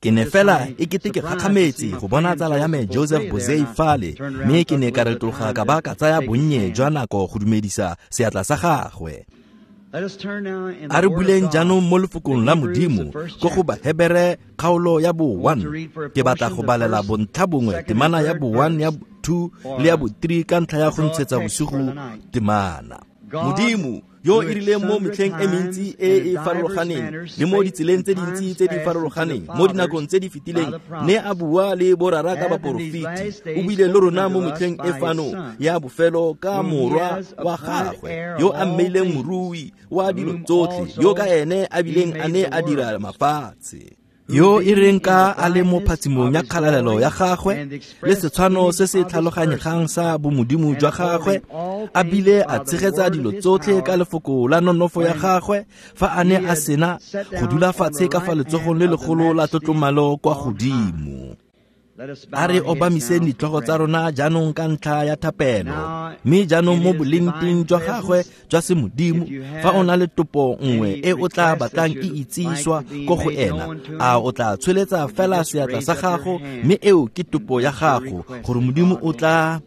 Ke ne fela e kete ke gakgametse go bona tsala ya me Joseph Bozei fale, mme ke ne ka retologa ka ba ka tsaya bonnye jwa nako go dumedisa seatla sa gagwe. A re buleng jaanong mo lefokong la Modimo ko go Bahebere kgaolo ya bo 1. Ke batla go balela bontlha bongwe temana ya bo 1 ya 2 le ya bo 3 ka ntlha ya go ntshetsa bosigo temana. Modimo yo e rileng mo metlheng e mentsi e e farologaneng le mo ditseleng tse dintsi tse di farologaneng mo dinakong tse di fetileng ne a bua le borara ka baporofeti, o buile le rona mo metlheng e fano ya bofelo ka morwa wa gagwe yo a mmeileng morui wa dilo tsotlhe, yo ka ene a bileng a ne a dira mafatshe, yo e reng ka a le mo phatsimong ya kgalalelo ya gagwe le setshwano se se tlhaloganyegang sa bomodimo jwa gagwe, a bile a tshegetsa dilo tsotlhe ka lefoko la nonofo ya gagwe fa a ne a sena go dula fatshe ka fa letsogong le legolo la tlotlomalo kwa godimo. A re obamiseng ditlhogo tsa rona jaanong ka ntlha ya thapelo, mme jaanong mo bolengteng jwa gagwe jwa semodimo, fa o na le topo nngwe e o tla batlang e itsiswa ko go ena, a o tla tsholetsa fela seatla sa gago, mme eo ke topo ya gago, gore Modimo o tla.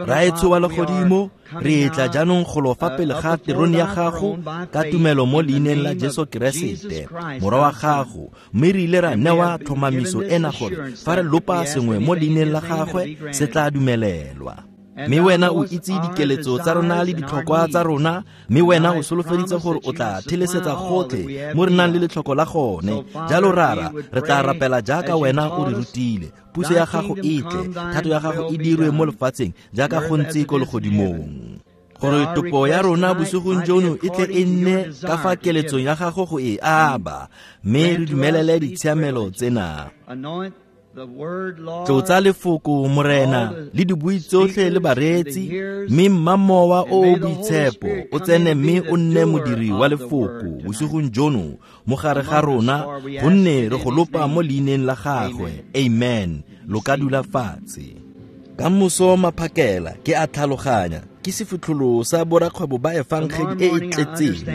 Raetsho wa legodimo, re tla jaanong go lo fa pele ga terone ya gago ka tumelo mo leineng la Jesu Keresete, morwa wa gago, mme re ile ra newa tlhomamiso ena gore fa re lopa sengwe mo leineng la gagwe se tla dumelelwa. Mme wena o itse dikeletso tsa rona le ditlhokwa tsa rona, mme wena o solofeditse gore o tla thelesetsa gotlhe mo re nang le letlhoko la gone. Jalo rara, re tla rapela jaaka wena o re rutile. Puso ya gago e tle, thato ya gago e dirwe mo lefatsheng jaaka go ntse ko legodimong. Gore topo ya rona bosigong jono e tle e nne ka fa keletsong ya gago go e aba, mme re dumelele ditshiamelo tsena. Tlotsa lefoko Morena le dibui tsotlhe le bareetsi, mme mma mowa o o boitshepo o tsene mme o nne modiri wa lefoko bosigong jono mo gare ga rona, gonne re go lopa mo leineng la gagwe. Amen. Lo ka dula fatshe. Ka moso maphakela ke a tlhaloganya ke sefitlholo sa borakgwebo ba efangedi e e tletseng.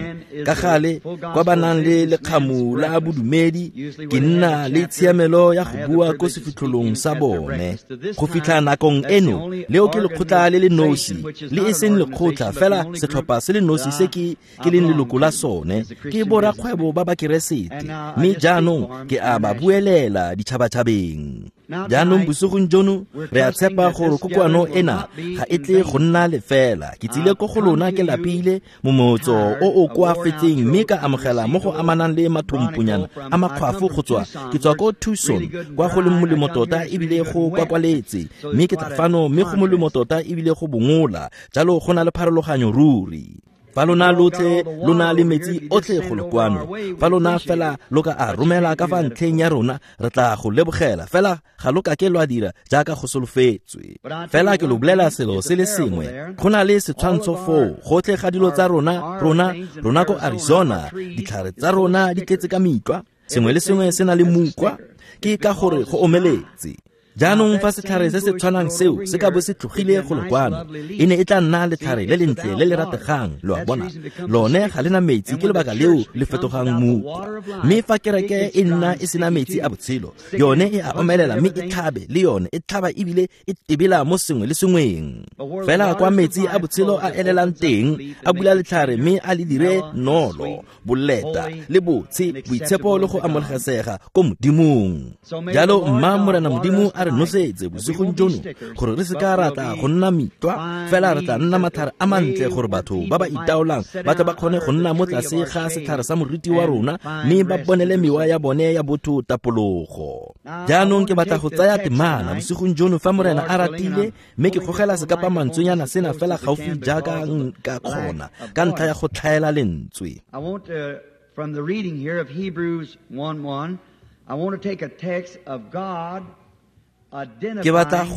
Ka gale kwa ba nang le lekgamu la bodumedi, ke nna le tshiamelo ya go bua ko sefitlholong sa bone. Go fitlha nakong eno, leo ke lekgotla le le nosi, le e seng lekgotla fela setlhopha se le nosi se ke leng leloko la sone, ke borakgwebo ba Bakeresete, mme jaanong ke a ba buelela ditšhabatšhabeng. Jaanong bosigong jono re a tshepa gore kokoano ena ga e tle go nna lefela. Ke tsile ko go lona ke lapile momotso o o koafetseng, mme ka amogela mo go amanang le mathompunyana a makgwafo go tswa ke tswa ko Tucson, kwa go leng molemo tota ebile go kwakwaletse, mme ke tla fano mme go molemo tota ebile go bongola, jalo go na le pharologanyo ruri. Fa lona lotlhe lo na le metsi otlhe go le kwano, fa lona fela lo ka a romela ka fa ntlheng ya rona, re tla go lebogela, fela ga lo ka ke lwa dira jaaka go solofetswe. Fela ke lo bolela selo se le sengwe, go na le setshwantsho foo gotlhe ga dilo tsa rona, rona ko Arizona, ditlhare tsa rona di tletse ka mitlwa, sengwe le sengwe se na le mukwa, ke ka gore go omeletse. Jaanong fa setlhare se se tshwanang seo se ka bo se tlogile go le kwano, e ne e tla nna letlhare le lentle le le rategang, lo a bona. Lone ga le na metsi, ke lebaka leo le fetogang mukwa. Mme fa kereke e nna e sena metsi a botshelo, yone e a omelela mme e tlhabe le yone, e tlhaba ebile e tebela mo sengwe le sengweng. Fela kwa metsi a botshelo a elelang teng, a bula letlhare mme a le dire nolo, boleta le botshe, boitshepo le go amogelesega ko Modimong. Jalo mma Morena Modimo a re nosetse bosigong jono, gore re se ka ra tla go nna mitlwa, fela re tla nna matlhare a mantle, gore batho ba ba itaolang ba tle ba kgone go nna mo tlase ga setlhare sa moriti wa rona, mme ba bonele mewa ya bone ya botho tapologo. Jaanong ke batla go tsaya temana bosigong jono fa Morena a ratile, mme ke gogela sekapamantswenyana sena fela gaufi jaaka nka kgona ka ntlha ya go tlhaela lentswe. I want to, from the reading here of Hebrews 1:1, I want to take a text of God Ke batla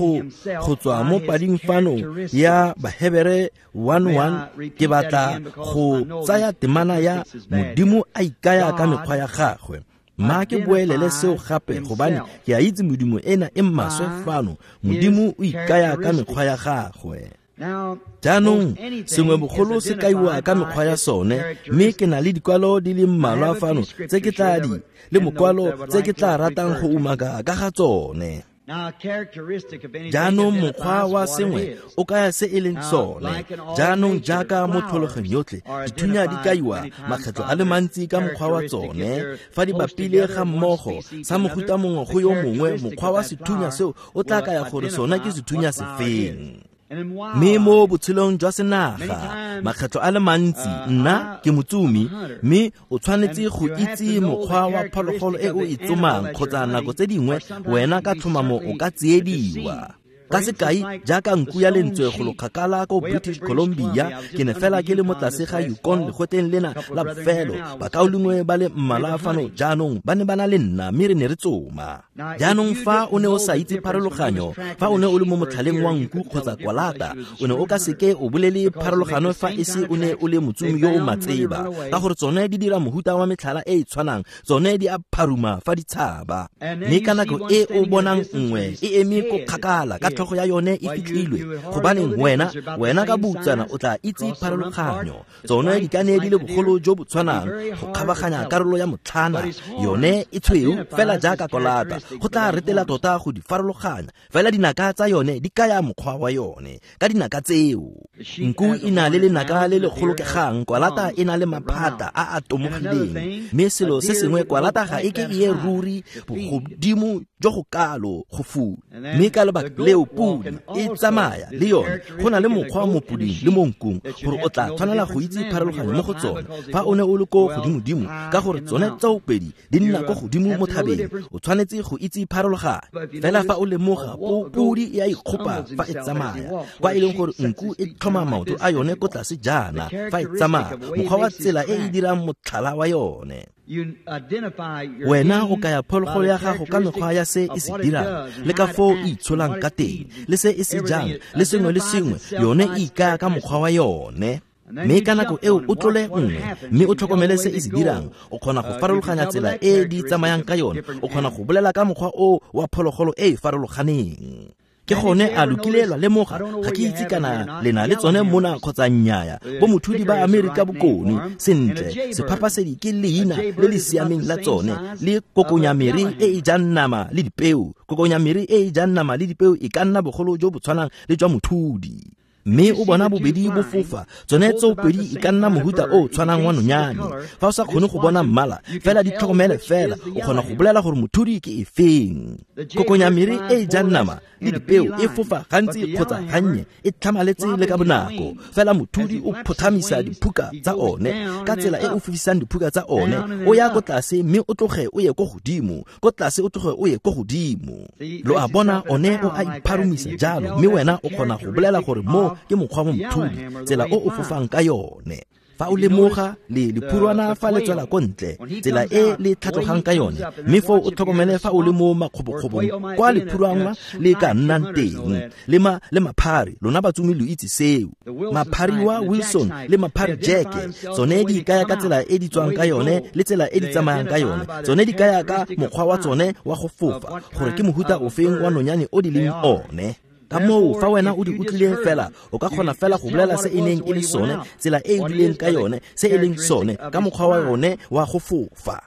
go tswa mo pading fano ya Bahebere 1:1, ke batla go tsaya temana ya Modimo a ikaya ka mekgwa ya gagwe. Mma ke boelele seo gape, gobane ke a itse Modimo ena e maswe fano. Modimo o ikaya ka mekgwa ya gagwe. Jaanong sengwe bogolo se kaiwa ka mekgwa ya sone, mme ke na le dikwalo di le mmalwa fano tse ke tla di le mokwalo tse ke tla ratang go umaka ka ga tsone. Jaanong mokgwa wa sengwe o kaya se e leng sone. Jaanong jaaka mo tlholegong yotlhe, dithunya di kaiwa makgetlo a le mantsi ka mokgwa wa tsone. Fa di bapile ga mmogo sa mofuta mongwe go yo mongwe, mokgwa wa sethunya seo o tla kaya gore sone ke sethunya sefeng. Mme mo botshelong jwa senaga, makgetlo a le mantsi, nna ke motsumi, mme o tshwanetse go itse mokgwa wa phologolo e o e tsomang, kgotsa nako tse dingwe wena ka tlhomamo o ka tsiediwa. Ka sekai, jaaka nku ya lentswe go lokgakala ko British Columbia, ke ne fela ke le mo tlase ga Yukon legotleng lena la bofelo. Bakaulengwe ba le mmalwa fano jaanong ba ne ba na le nna, mme re ne re tsoma. Jaanong fa o ne o sa itse pharologanyo, fa o ne o le mo motlhaleng wa nku kgotsa kwalata, o ne o ka seke o bolele pharologano fa e se o ne o le motsumi yo o matseba, ka gore tsone di dira mohuta wa metlhala e e tshwanang, tsone di a pharuma fa di tshaba. Mme ka nako e o bonang nngwe e eme ko kgakala ka tlhogo ya yone e fitlhilwe, gobaneng wena ka boutsana o tla itse pharologanyo. Tsone di ka ne di le bogolo jo bo tshwanang go kgabaganya karolo ya motlhana, yone e tshweu fela jaaka kolata, go tla retela tota go di farologanya. Fela dinaka tsa yone di kaya mokgwa wa yone. Ka dinaka tseo, nku e na le lenaka le le kgolokegang, kwalata e na le maphata a a tomogileng. Mme selo se sengwe, kwalata ga e ke e ye ruri bogodimo jo go kalo go fula. Mme ka lebaka leo podi e tsamaya le yone. Go na le mokgwa mo poding le mo nkung gore o tla tshwanela go itse pharologanyo mo go tsone fa o ne o le ko godimodimo, ka gore tsone tsoopedi di nna ko godimo mo thabeng. O tshwanetse go itse pharologanyo. Fela fa o lemoga, podi e a ikgopa fa e tsamaya, kwa e leng gore nku e tlhoma maoto a yone ko tlase jaana fa e tsamaya, mokgwa wa tsela e e dirang motlhala wa yone. Wena o kaya phologolo ya gago ka mekgwa ya se e se dirang, le ka foo e itsholang ka teng, le se e se jang, le sengwe le sengwe, yone e ikaya ka mokgwa wa yone. Mme ka nako eo o tlole nngwe, mme o tlhokomele se e se dirang, o kgona go farologanya tsela e di tsamayang ka yone, o kgona go bolela ka mokgwa o wa phologolo e e farologaneng. Ke gone a lokile lwa lemoga, ga ke itse kana le na le tsone mona kgotsa nnyaya, bo mothudi ba Amerika Bokone. Sentle, sephapasedi ke leina le le siameng la tsone, le kokonyamere e e jang nama le dipeo. Kokonyamere e e jang nama le dipeo e ka nna bogolo jo bo tshwanang le jwa mothudi. Mme o bona bobedi bo fofa, tsone tsoopedi e ka nna mohuta o tshwanang wa nonyane. Fa o sa kgone go bona mmala, fela di tlhokomele fela, o kgona go bolela gore mothudi ke efeng. Kokonyamere e e jang nama le dipeo e fofa gantsi kgotsa gannye, e tlhamaletse le ka bonako. Fela mothudi o phothamisa diphuka tsa one ka tsela e o fofisang diphuka tsa one, o ya ko tlase mme o tloge o ye ko godimo, ko tlase o tloge o ye ko godimo. Lo a bona, one o a ipharumisa jalo, mme wena o kgona go bolela gore mo ke mokgwa wa mothudi, tsela o o fofang ka yone. Fa o lemoga le lephurwana fa le tswela ko ntle, tsela e le tlhatlogang ka yone, mme foo o tlhokomele fa o le mo makgobokgobong kwa lephurwana le ka nnang teng, le maphari, lona batsumi lo itse seo. Maphari wa Wilson le maphari Jack, tsone di kaya ka tsela e di tswang ka yone le tsela e di tsamayang ka yone. Tsone di kaya ka mokgwa wa tsone wa go fofa, gore ke mohuta ofeng wa nonyane o di leng one. Ka moo fa wena o di utlwileng fela, o ka kgona fela go bolela se e neng e le sone, tsela e e duleng ka yone, se e leng sone, ka mokgwa wa yone wa go fofa.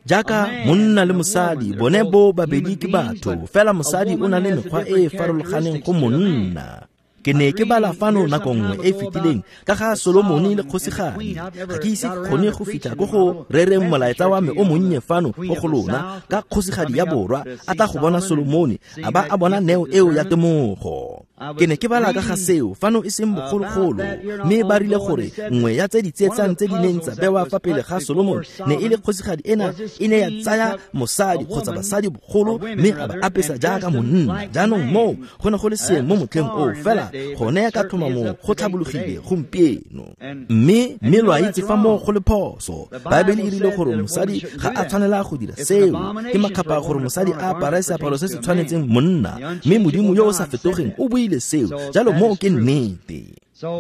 Jaaka monna le mosadi, bone bo babedi ke batho, fela mosadi o na le mekgwa e e farologaneng go monna. Ke ne ke bala fano nako nngwe e fetileng ka ga Solomone le kgosigadi. Ga ke ise ke kgone go fitlha ko go rereng molaetsa wa me o monnye fano ko go lona ka kgosigadi ya borwa a tla go bona Solomone, a ba a bona neo eo ya temogo. Ke ne ke bala ka ga seo fano e seng bogologolo, mme ba rile gore nngwe ya tse di tsietsang tse di neng tsa bewa fa pele ga Solomone ne e le kgosigadi ena e ne ya tsaya mosadi kgotsa basadi bogolo mme a ba apesa jaaka monna. Jaanong moo go ne go le seeng mo motlheng oo, fela gone ka tlhomamo go tlhabologile gompieno. Mme lo a itse fa moo go le phoso. Baebele e rile gore mosadi ga a tshwanela go dira seo. Ke makgapha gore mosadi a apare seaparo se se tshwanetseng monna, mme Modimo yo o sa fetogeng o buile seo. Jalo moo ke nnete.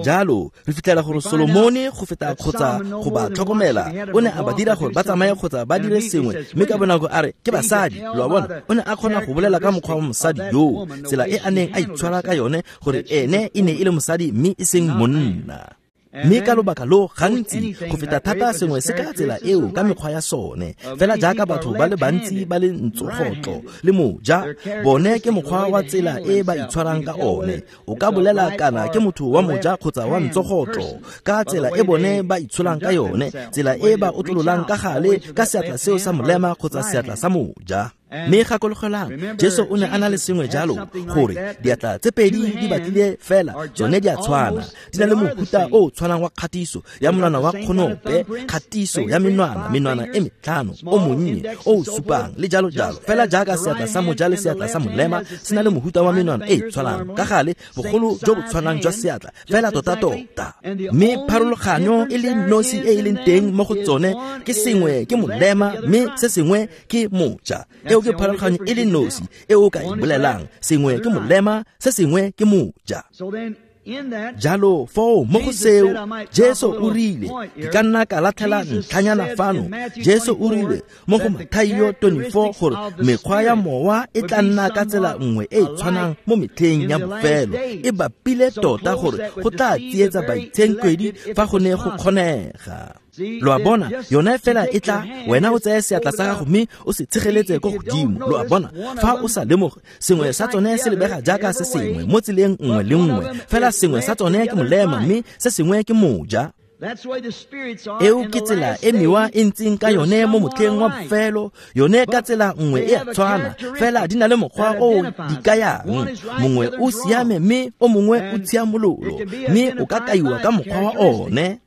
Jalo re fitlhela gore Solomone go feta kgotsa go ba tlhokomela o ne a ba dira gore ba tsamaye kgotsa ba dire sengwe, mme ka bonako a re ke basadi. Lo a bona, o ne a kgona go bolela ka mokgwa wa mosadi yoo, tsela e a neng a itshwara ka yone, gore ene e ne e le mosadi mme e seng monna. Mme ka lobaka lo gantsi go feta thata sengwe se ka tsela eo ka mekgwa ya sone, fela jaaka batho ba le bantsi ba le ntsogotlo le moja, bone ke mokgwa wa tsela e ba itshwarang ka one. O ka bolela kana ke motho wa moja kgotsa wa ntsogotlo ka tsela e bone ba itsholang ka yone, tsela e ba otlololang ka gale ka seatla seo sa molema kgotsa seatla sa moja. Mme gakologelang, Jesu o ne a na le sengwe jalo, gore diatla tse pedi di batlile fela tsone di a tshwana, di na le mohuta o o tshwanang wa kgatiso ya monwana wa kgonope, kgatiso ya menwana, menwana e metlhano, o monnye, o o supang, le jalo jalo. Fela jaaka seatla sa moja le seatla sa molema se na le mohuta wa menwana e e tshwanang, ka gale bogolo jo bo tshwanang jwa seatla, fela tota-tota. Mme pharologanyo e le nosi e e leng teng mo go tsone ke sengwe ke molema mme se sengwe ke moja. Eo ke pharologanyo e le nosi e o ka e bolelang, sengwe ke molema, se sengwe ke moja. Jalo foo mo go seo Jesu o rile, ke ka nna ka latlhela ntlhanyana fano. Jesu o rile mo go Mathaio 24 gore mekgwa ya mowa e tla nna ka tsela nngwe e e tshwanang mo metlheng ya bofelo, e bapile tota gore go tla tsietsa baitshenkwedi fa go ne go kgonega. Lo a bona, yone fela e tla, wena o tseye seatla sa gago mme o se tshegeletse ko godimo. Lo a bona, fa o sa lemoge, sengwe sa tsone se lebega jaaka se sengwe mo tseleng nngwe le nngwe, fela sengwe sa tsone ke molema mme se sengwe ke moja. Eo ke tsela e mewa e ntseng ka yone mo motlheng wa bofelo, yone ka tsela nngwe e a tshwana, fela di na le mokgwa o di kayang. Mongwe o siame mme o mongwe o tshiamololo, mme o ka kaiwa ka mokgwa wa one.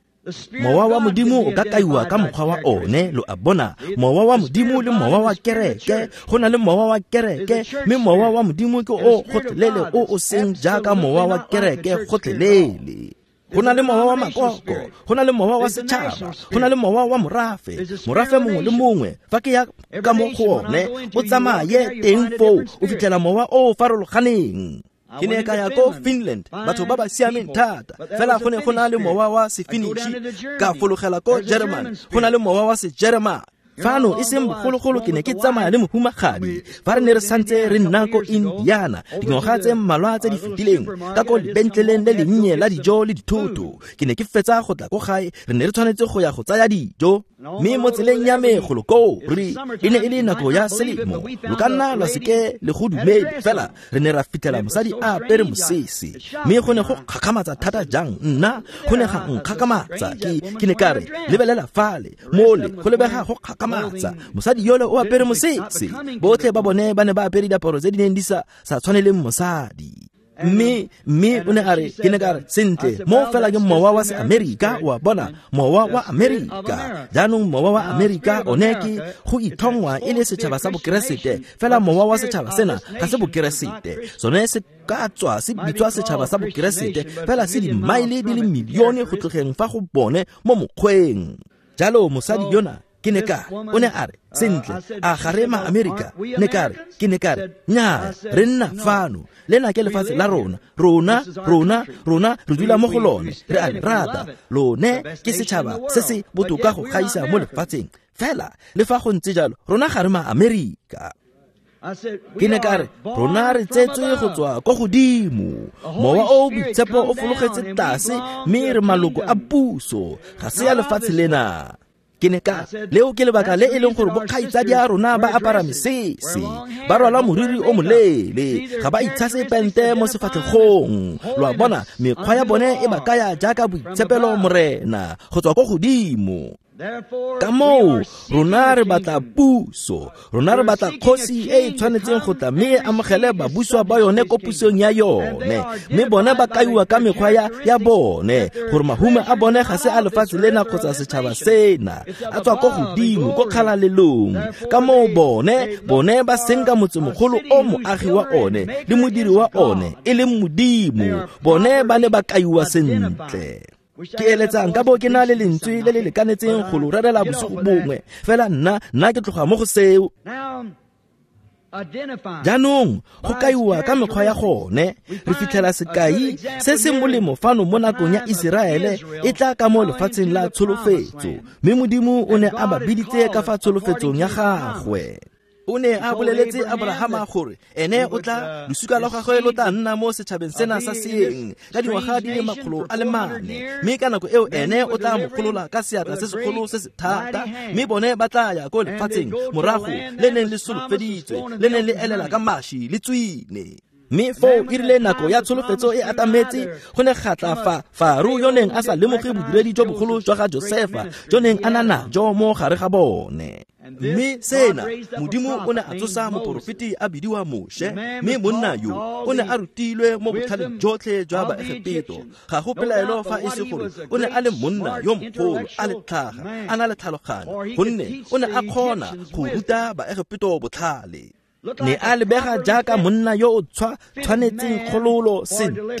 Mowa wa Modimo o ka kaiwa ka mokgwa wa one. Lo a bona, mowa wa Modimo le mowa wa kereke, go na le mowa wa kereke, mme mowa wa Modimo ke o gotlhelele o o seng jaaka mowa wa kereke gotlhelele. Go na le mowa wa makoko, go na le mowa wa setšhaba, go na le mowa wa morafe. Morafe mongwe le mongwe fa ke ya ka mo go one, o tsamaye teng foo, o fitlhela mowa o o farologaneng. Ke ne ka ya ko Finland, batho ba ba siameng thata, fela go ne go na le mowa wa Sefinishi. Ka fologela ko Germany, go na le mowa wa Sejeremane. Fano e seng bogologolo ke ne ke tsamaya le mohumagadi fa re ne re santse re nna ko Indiana dingwaga tse mmalwa tse di fetileng, ka ko lebentleleng le lennye la dijo le dithoto. Ke ne ke fetsa go tla ko gae, re ne re tshwanetse go ya go tsaya dijo, mme mo tseleng ya me golo koo re e ne e le nako ya selemo, lo ka nna lwa seke le go dumele, fela re ne ra fitlhela mosadi a apere mosese, mme go ne go kgakgamatsa thata jang. Nna go ne ga nkgakgamatsa, ke ne ka re, lebelela fale mole, go lebega go kgakgamatsa, mosadi yole o apere mosese. Botlhe ba bone ba ne ba apere diaparo tse di neng di sa tshwaneleng mosadi. Mme o ne a re, ke ne ka re, sentle, mo fela ke mowa wa se-Amerika, wa bona, mowa wa Amerika. Jaanong mowa wa Amerika one ke go ithongwa e le setšhaba sa bokeresete, fela mowa wa setšhaba sena ga se bokeresete. Sone se ka tswa se bitswa setšhaba sa bokeresete, fela se dimaele di le milione go tlogeng fa go bone mo mokgweng. Jalo mosadi yona, ke ne ka, o ne a re, sentle, a ga re ma-Amerika? Ne ka re, ke ne ka re, nnyaa, re nna fano, lena ke lefatshe la rona, rona re dula mo go lone, re a le rata, lone ke setšhaba se se botoka go gaisa mo lefatsheng, fela le fa go ntse jalo, rona ga re ma-Amerika. Ke ne ka re, rona re tsetswe go tswa ko godimo, mowa o boitshepo o fologetse tlase, mme re maloko a puso, ga se ya lefatshe lena. Ke ne ka, leo ke lebaka le e leng gore bokgaitsadi a rona ba apara mesese, ba rwala moriri o moleele, ga ba itshase pente mo sefatlhegong. Lo a bona, mekgwa ya bone e ba kaya jaaka boitshepelo Morena go tswa ko godimo. Ka moo rona re batla puso, rona re batla kgosi e e tshwanetseng go tla mme e amogele babuswa ba yone ko pusong ya yone, mme bone ba kaiwa ka mekgwa ya bone, gore mahumo a bone ga se a lefatshe lena kgotsa setšhaba sena, a tswa ko godimo ko kgalalelong. Ka moo bone ba senka motsemogolo o moagi wa one le modiri wa one e leng Modimo, bone ba ne ba kaiwa sentle. Ke eletsang ka bo ke na le lentswe le le lekanetseng go lo rerela bosigo bongwe, fela nna ke tloga mo go seo. Jaanong go kaiwa ka mekgwa ya gone, re fitlhela sekai se se molemo fano mo nakong ya Iseraele e tla ka mo lefatsheng la tsholofetso, mme Modimo o ne a ba biditse ka fa tsholofetsong ya gagwe. O ne a boleletse Abrahama gore ene o tla losika lwa gagwe lo tla nna mo setšhabeng sena sa seeng ka dingwaga di le 400, mme ka nako eo ene o tla mo golola ka seatla se segolo se se thata, mme bone ba tla ya ko lefatsheng morago le neng le solofeditswe, le neng le elela ka maši le tswine. Mme foo e rile nako ya tsholofetso e atametse, go ne ga tla fa Faro yo neng a sa lemoge bodiredi jo bogolo jwa ga Josefa jo neng a na najo mo gare ga bone. Mme sena, Modimo o ne a tsosa moporofeti a bidiwa Moshe, mme monna yo o ne a rutilwe mo botlhaleng jotlhe jwa Baegepeto. Ga go pelaelo fa e se gore o ne a le monna yo mogolo, a le tlhaga, a na le tlhaloganyo, gonne o ne a kgona go ruta Baegepeto botlhale. Ne a lebega jaaka monna yo o tshwanetseng kgololo sentle.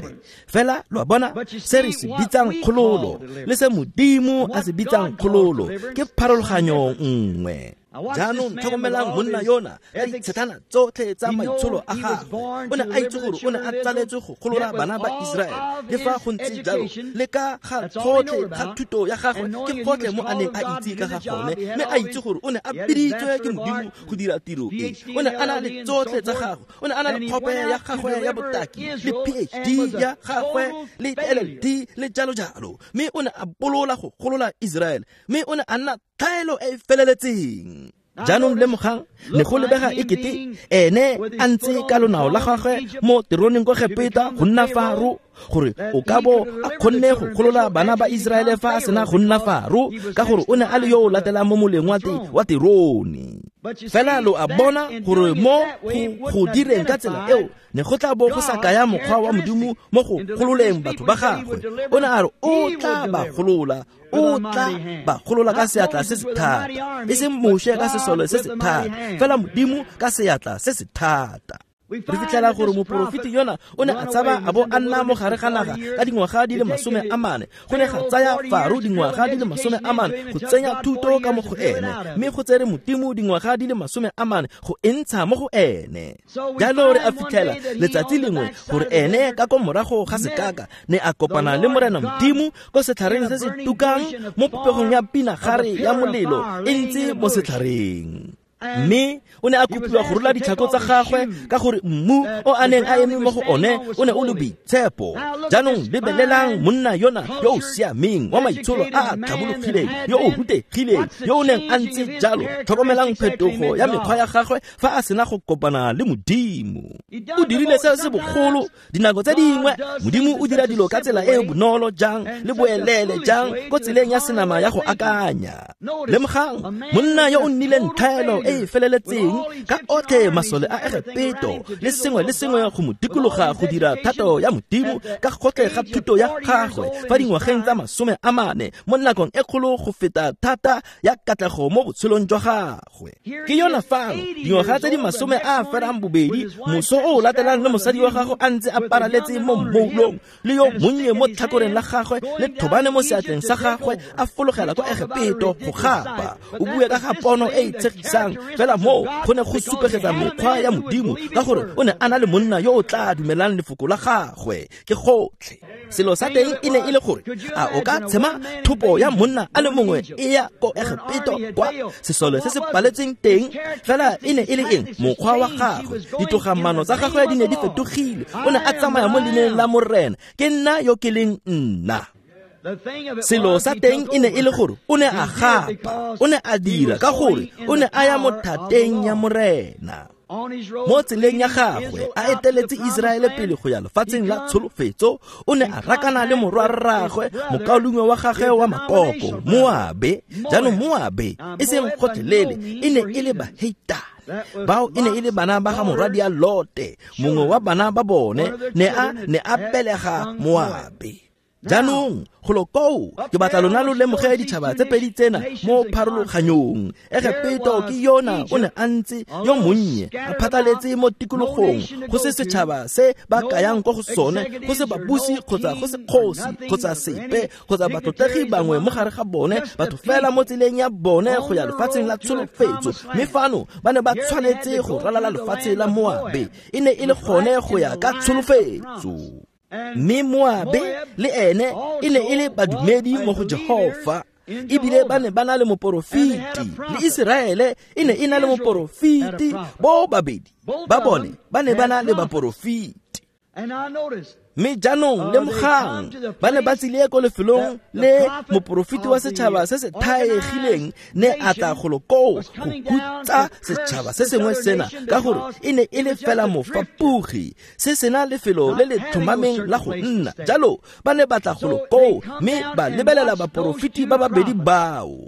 Fela lo a bona, se re se bitsang kgololo le se Modimo a se bitsang kgololo ke pharologanyo nngwe. Jaanong tlhokomelang monna yona ka ditshetlana tsotlhe tsa maitsholo a gagwe. O ne a itse gore o ne a tsaletswe go golola bana ba Iseraele, le fa go ntse jalo le ka ga gotlhe ga thuto ya gagwe ke gotlhe mo a neng a itse ka ga gone, mme a itse gore o ne a biditswe ke Modimo go dira tiro e. O ne a na le tsotlhe tsa gagwe, o ne a na le kgope ya gagwe ya botaki le PhD ya gagwe le LLD le jalo jalo, mme o ne a bolola go golola Iseraele, mme o ne a nna tlhaelo e e feleletseng. Jaanong lemogang, ne go lebega e kete ene a ntse ka lonao la gagwe mo teroneng ko Egepeta go nna Faro, gore o ka bo a kgonne go golola bana ba Iseraele fa a sena go nna Faro, ka gore o ne a le yo o latelang mo moleng wa terone. Fela lo a bona gore mo go direng ka tsela eo ne go tla bo go sa kaya mokgwa wa Modimo mo go gololeng batho ba gagwe. O ne a re o tla ba golola, o tla ba golola ka seatla se se thata, e seng Moshe ka sesole se se thata, fela Modimo ka seatla se se thata. Re fitlhela gore moporofeti yona o ne a tshaba a bo a nna mo gare ga naga ka dingwaga di le 40. Go ne ga tsaya Faro dingwaga di le 40 go tsenya thuto ka mo go ene, mme go tsere Modimo dingwaga di le 40 go e ntsha mo go ene. Jalo re a fitlhela letsatsi lengwe gore ene ka ko morago ga sekaka ne a kopana le Morena Modimo ko setlhareng se se tukang mo popegong ya pinagare ya molelo e ntse mo setlhareng. Mme o ne a kopiwa go rola ditlhako tsa gagwe ka gore mmu o a neng a eme mo go one o ne o le boitshepo. Jaanong lebelelang monna yona yo o siameng, wa maitsholo a a tlhabologileng, yo o rutegileng, yo o neng a ntse jalo. Tlhokomelang phetogo ya mekgwa ya gagwe fa a sena go kopana le Modimo. O dirile se se bogolo. Dinako tse dingwe Modimo o dira dilo ka tsela e e bonolo jang le boelele jang ko tseleng ya senama ya go akanya. Lemogang monna yo o nnileng tlhaelo e e feleletseng ka otlhe masole a Egepeto le sengwe le sengwe go mo dikologa go dira thato ya Modimo ka gotlhe ga thuto ya gagwe fa dingwageng tsa 40 mo nakong e kgolo go feta thata ya katlego mo botshelong jwa gagwe. Ke yona fano dingwaga tse di 28, moso o o latelang le mosadi wa gagwe a ntse a paraletse mo mmoulong le yo monnye mo tlhakoreng la gagwe le thobane mo seatleng sa gagwe a fologela kwa Egepeto go gapa. O bue ka ga pono e e tshegisang, fela moo go ne go supegetsa mekgwa ya Modimo ka gore o ne a na le monna yo o tla dumelang lefoko la gagwe. Ke gotlhe. Selo sa teng e ne e le gore a o ka tshema thopo ya monna a le mongwe e ya ko Egepeto kwa sesole se se paletseng teng, fela e ne e le eng? Mokgwa wa gagwe, ditogamano tsa gagwe di ne di fetogile. O ne a tsamaya mo leineng la Morena, ke nna yo ke leng nna. Selo sa teng e ne e le gore o ne a gapa, o ne a dira ka gore o ne a ya mo thateng ya Morena. Mo tseleng ya gagwe a eteletse Iseraele pele go ya lefatsheng la tsholofetso, o ne a rakana le morwarraagwe, mokaulengwe wa gagwe wa makoko, Moabe. Jaanong Moabe e seng gotlhelele, e ne e le baheitane. Bao e ne e le bana ba ga morwadia Lote, mongwe wa bana ba bone ne a belega Moabe. Jaanong golo koo ke batla lona lo lemoge ditšhaba tse pedi tsena mo pharologanyong. Egepeto ke yona o ne a ntse yo monnye a phatlaletse mo tikologong, go se setšhaba se ba kayang ko go sone, go se babusi kgotsa go se kgosi kgotsa sepe kgotsa batlotlegi bangwe mo gare ga bone, batho fela mo tseleng ya bone go ya lefatsheng la tsholofetso. Mme fano ba ne ba tshwanetse go ralala lefatshe la Moabe, e ne e le gone go ya ka tsholofetso. Mme Moabe le ene e ne e le badumedi mo go Jehofa, ebile ba ne ba na le moporofeti, le Iseraele e ne e na le moporofeti. Bo babedi ba bone ba ne ba na le baporofeti. Mme jaanong lemogang, ba ne ba tsile ko lefelong le moporofeti wa setšhaba se se thaegileng ne a tla golo koo go hutsa setšhaba se sengwe sena, ka gore e ne e le fela mofapogi, se sena lefelo le le tlhomameng la go nna. Jalo ba ne ba tla golo koo mme ba lebelela baporofeti ba babedi bao.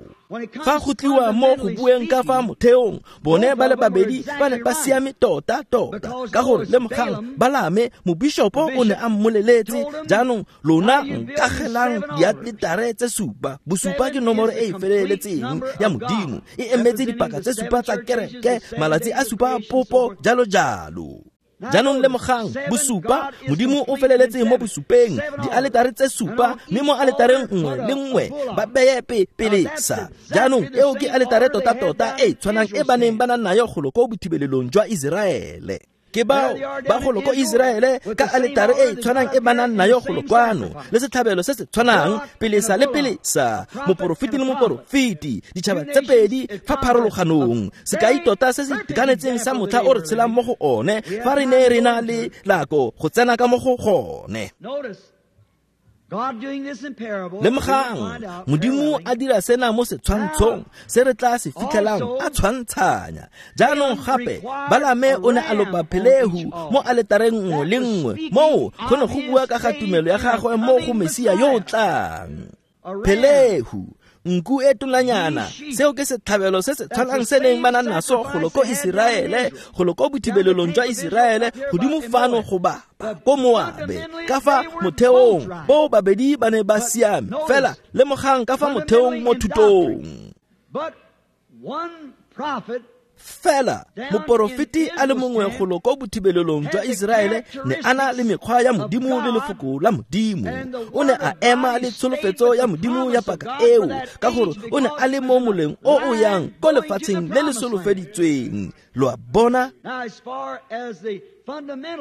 Fa go tliwa mo go bueng ka fa motheong, bone ba le babedi ba ne ba siame tota-tota, ka gore lemogang Balame mobishopo o ne a mmoleletse, jaanong lona nkagelang dialetare tse supa. Bosupa ke nomoro e e feleletseng ya Modimo, e emetse dipaka tse supa tsa kereke, malatsi a supa a popo, jalo jalo. Jaanong lemogang, bosupa, Modimo o feleletse mo bosupeng, dialetare tse supa, mme mo aletareng nngwe le nngwe ba beye pelesa. Jaanong eo ke aletare tota-tota e tshwanang e ba neng ba na nayo golo ko bothibelelong jwa Iseraele. Ke bao ba golo ko Iseraele ka aletare e tshwanang e ba nang nayo golo kwano, le setlhabelo se se tshwanang, pelesa le pelesa, moporofeti le moporofeti, ditšhaba tse pedi fa pharologanong. Sekai tota se se itekanetseng sa motlha o re tshelang mo go one, fa re ne re na le nako go tsena ka mo go gone. Lemogang, Modimo a dira sena mo setshwantshong se re tla se fitlhelang a tshwantshanya. Jaanong gape Balame o ne a lopa phelehu mo aletareng nngwe le nngwe, moo go ne go bua ka ga tumelo ya gagwe mo go Mesia yo o tlang. Phelehu, nku e tonanyana, seo ke setlhabelo se se tshwanang se neng ba na naso golo ko Iseraele, golo ko bothibelelong jwa Iseraele, godimo fano go bapa ko Moabe. Ka fa motheong bo babedi ba ne ba siame, fela lemogang ka fa motheong mo thutong. Fela moporofeti a le mongwe golo ko bothibelelong jwa Iseraele ne a na le mekgwa ya Modimo le lefoko la Modimo. O ne a ema le tsholofetso ya Modimo ya paka eo, ka gore o ne a le mo moleng o o yang ko lefatsheng le le solofeditsweng. Lo a bona?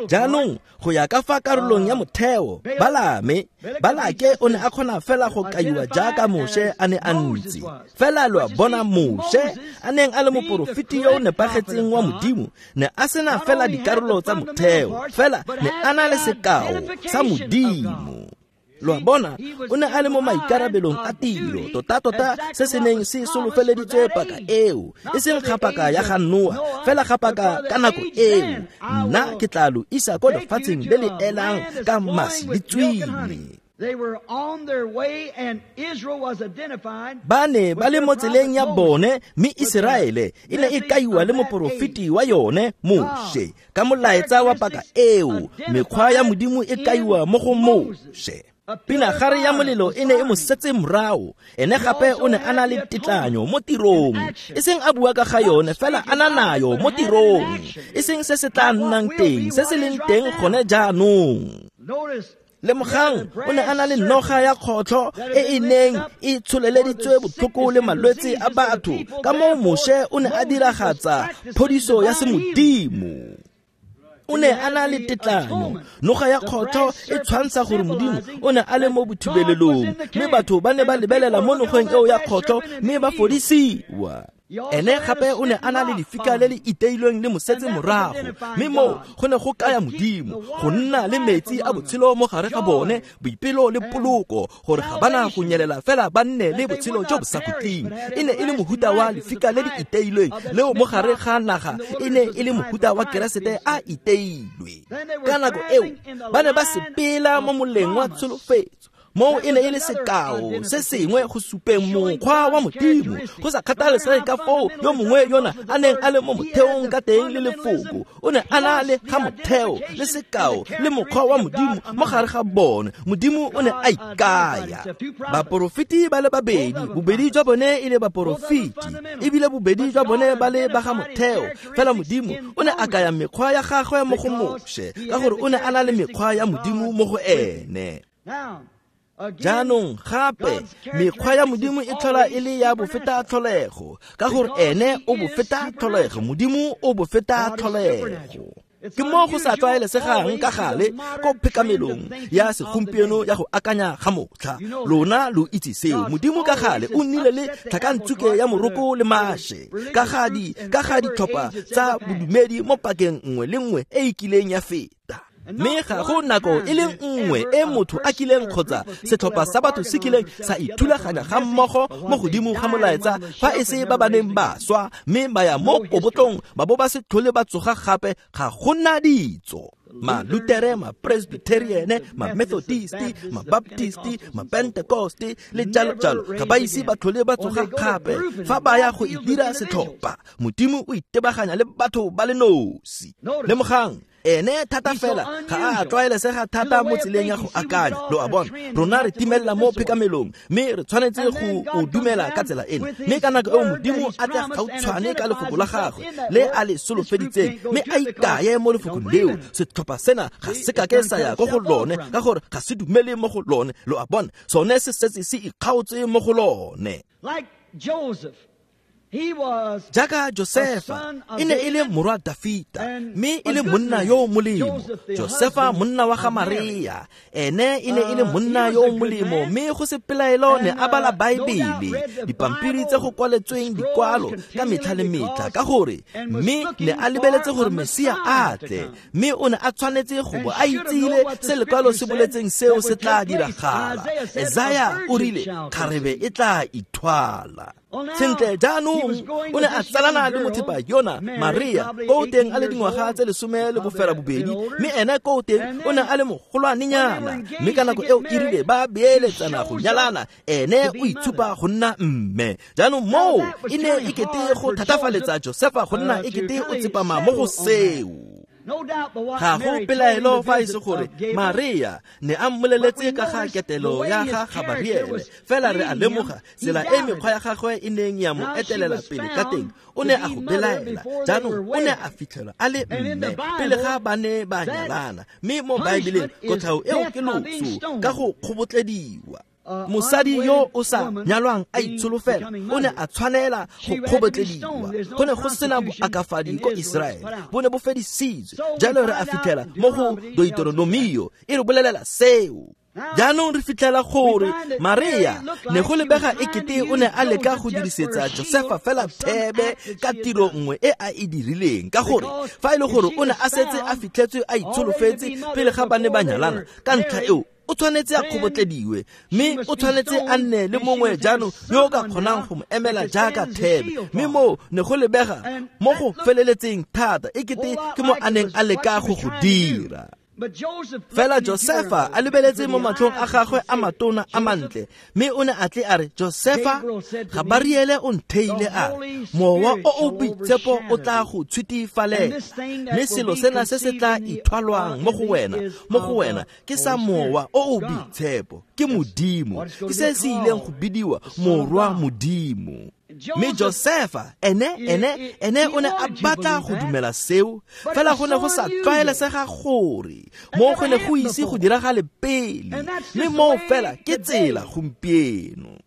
Jaanong go ya ka fa karolong ya motheo, Balame, Balake o ne a kgona fela go kaiwa jaaka Moshe a ne a ntse. Fela lo a bona, Moshe a neng a le moporofeti yo o nepagetseng wa Modimo, ne a sena fela dikarolo tsa motheo, fela ne a na le sekao sa Modimo. Lo a bona, o ne a le mo maikarabelong a tiro, tota-tota se se neng se solofeleditswe paka eo, e seng ga paka ya ga Noa, fela ga paka ka nako eo. Nna ke tla lo isa ko lefatsheng le le elang ka masi le tswine. Ba ne ba le mo tseleng ya bone, mme Iseraele e ne e kaiwa le moporofeti wa yone Moshe ka molaetsa wa paka eo. Mekgwa ya Modimo e kaiwa mo go Moshe. Pinagare ya molelo e ne e mo setse morago. Ene gape o ne a na le tetlanyo mo tirong, e seng a bua ka ga yone, fela a na nayo mo tirong, e seng se se tla nnang teng, se se leng teng gone jaanong. Lemogang, o ne a na le noga ya kgotlho e e neng e tsholeleditswe botlhoko le malwetse a batho. Ka moo Moshe o ne a diragatsa phodiso ya semodimo. O ne a na le tetlanyo. Noga ya kgotlho e tshwantsha gore Modimo o ne a le mo bothibelelong, mme batho ba ne ba lebelela mo nogeng eo ya kgotlho mme ba fodisiwa. Ene gape o ne a na le lefika le le iteilweng le mosetse morago, mme moo go ne go kaya Modimo go nna le metsi a botshelo mo gare ga bone, boipelo le poloko, gore ga bana go nyelela fela ba nne le botshelo jo bo sa khutleng. E ne e le mohuta wa lefika le le iteilweng leo mo gare ga naga, e ne e le mohuta wa Keresete a iteilwe. Ka nako eo ba ne ba sepela mo moleng wa tsholofetso, Moo e ne e le sekao se sengwe go supeng mokgwa wa Modimo, go sa kgathalesege ka foo yo mongwe yona a neng a le mo motheong ka teng le lefoko. O ne a na le ga motheo le sekao le mokgwa wa Modimo mo gare ga bone. Modimo o ne a ikaya. Baporofeti ba le babedi, bobedi jwa bone e le baporofeti, ebile bobedi jwa bone ba le ba ga motheo. Fela Modimo o ne a kaya mekgwa ya gagwe mo go Moshe, ka gore o ne a na le mekgwa ya Modimo mo go ene. Jaanong gape mekgwa ya Modimo e tlhola e le ya bofeta tlholego, ka gore ene o bofeta tlholego, Modimo o bofeta tlholego. Ke mo go sa tlwaelesegang ka gale ko phekamelong ya segompieno ya go akanya ga motlha. Lona lo itse seo. Modimo ka gale o nnile le tlhakantsuke ya moroko le mashe ka ga ditlhopha tsa bodumedi mo pakeng nngwe le nngwe e e kileng ya feta. Mme ga go nako e le nngwe e motho a kileng kgotsa setlhopha sa batho se kileng sa ithulaganya ga mmogo mo godimo ga molaetsa, fa e se ba ba neng ba swa mme ba ya mo kobotlong ba bo ba se tlhole ba tsoga gape. Ga go na ditso. Ma-Lutere, ma-Presbyteriane, ma-Methodisti, ma-Baptisti, ma-Pentecoste le jalo jalo ga ba ise ba tlhole ba tsoga gape fa ba ya go itira setlhopha. Modimo o itebaganya le batho ba le nosi. Lemogang, ene thata fela ga a tlwaelesega thata mo tseleng ya go akanya. Lo a bona, rona re timelela mo phekamelong mme re tshwanetse go o dumela ka tsela ena. Mme ka nako eo Modimo a tla gautshwane ka lefoko la gagwe le a le solofeditseng, mme a ikaye mo lefokong leo. Setlhopha sena ga se kake sa ya ko go lone, ka gore ga se dumele mo go lone. Lo a bona, sone se setse se ikgaotse mo go lone. Jaaka Josefa e ne e le morwa Dafita, mme e le monna yo o molemo. Josefa monna wa ga Maria, ene e ne e le monna yo o molemo, mme go se pelaelo ne a bala Baebele, dipampiri tse go kwaletsweng dikwalo ka metlha le metlha, ka gore mme ne a lebeletse gore Mesia a tle, mme o ne a tshwanetse go bo a itsile se lekwalo se boletseng seo se tla diragala. Esaya o rile kgarebe e tla ithwala. Sentle jaanong o ne a tsalana le mothepa yona Maria ko teng a le dingwaga tse 18, mme ene ko teng o ne a le mogolwanenyana. Mme ka nako eo e rile ba beeletsana go nyalana, ene o itshupa go nna mme. Jaanong moo e ne e kete go thatafaletsa Josefa go nna e kete o tsepama mo go seo. Ga go pelaelo fa e se gore Maria ne a mmoleletse ka ga ketelo ya ga Gabariele, fela re a lemoga tsela e mekgwa ya gagwe e neng ya mo etelela pele ka teng. O ne a go belaela. Jaanong o ne a fitlhelwa a le mme pele ga ba ne ba nyalana, mme mo Baebeleng kotlhao eo ke loso ka go kgobotlediwa. Mosadi yo o sa nyalwang a itsholofela o ne a tshwanela go kgobotlediwa. Go ne go sena boakafadi ko Iseraele, bo ne bo fedisitswe. Jalo re a fitlhela mo go Deuteronomio e re bolelela seo. Jaanong re fitlhela gore Maria ne go lebega e kete o ne a leka go dirisetsa Josefa fela thebe ka tiro nngwe e a e dirileng, ka gore fa e le gore o ne a setse a fitlhetswe a itsholofetse pele ga ba ne ba nyalana, ka ntlha eo o tshwanetse a kgobotlediwe, mme o tshwanetse a nne le mongwe jaanong yo o ka kgonang go mo emela jaaka thebe. Mme moo ne go lebega mo go feleletseng thata e kete ke mo a neng a leka go go dira. Fela Josefa a lebeletse mo matlhong a gagwe a matona a mantle, mme o ne a tle a re, Josefa, Gabariele o ntheile a re, Mowa o o Boitshepo o tla go tshwitifalela, mme selo sena se se tla ithwalwang mo go wena ke sa Mowa o o Boitshepo, ke Modimo, ke se se ileng go bidiwa Morwa Modimo. Mme Josefa ene o ne a batla go dumela seo, fela go ne go sa tlwaelesega gore mo go ne go ise go diragale pele, mme moo fela ke tsela gompieno.